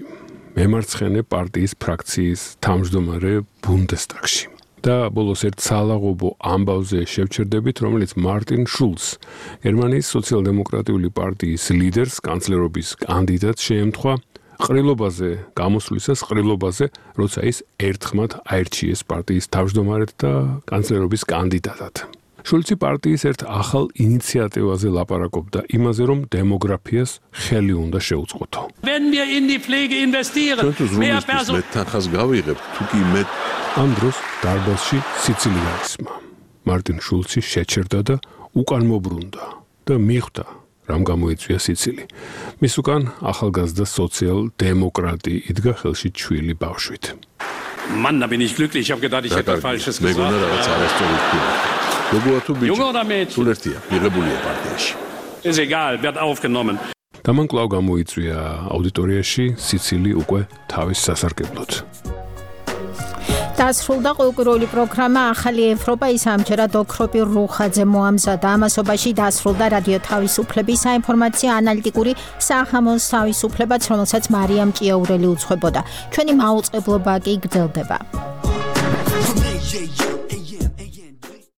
მემარცხენე პარტიის ფრაქციის თავმჯდომარე ბუნდესტაგში. და ბოლოს ერთ სალაღობო ამბავზე შევჩერდებით, რომელიც მარტინ შულცს, გერმანიის სოციალ-დემოკრატიული პარტიის ლიდერს, კანცლერობის კანდიდატს შეემთხვა ყრილობაზე გამოსვლისას, ყრილობაზე, როცა ის ერთხმად აირჩიეს პარტიის თავმჯდომარედ და კანცლერობის კანდიდატად. შულცი პარტიის ერთ ახალ ინიციატივაზე ლაპარაკობდა იმაზე, რომ დემოგრაფიას ხელი უნდა შეუწყოთო. მეტახას გავიღებთ, თუ კი მეტ ამ დროს დარბაზში სიცილი გაისმა. მარტინ შულცი შეჩერდა და უკან მობრუნდა და მიხვდა, რამ გამოიწვია სიცილი. მის უკან ახალგაზრდა სოციალ-დემოკრატი იდგა ხელში ჩვილი ბავშვით. Mann, da bin ich glücklich. Ich habe gedacht, ich hätte was Falsches gesagt. Ist egal, wird aufgenommen. და მან კვლავ გამოიწვია აუდიტორიაში სიცილი უკვე თავის სასარგებლოდ. დასრულდა ყოველკვირეული პროგრამა ახალი ევროპა, ის ამჯერად ოქროპირ რუხაძე მოამზადა. ამასობაში დასრულდა რადიო თავისუფლების საინფორმაციო ანალიტიკური სახამოს თავისუფლებაც, რომელსაც მარიამ ჭიაურელი უძღვებოდა. ჩვენი მაუწყებლობა კი გრძელდება.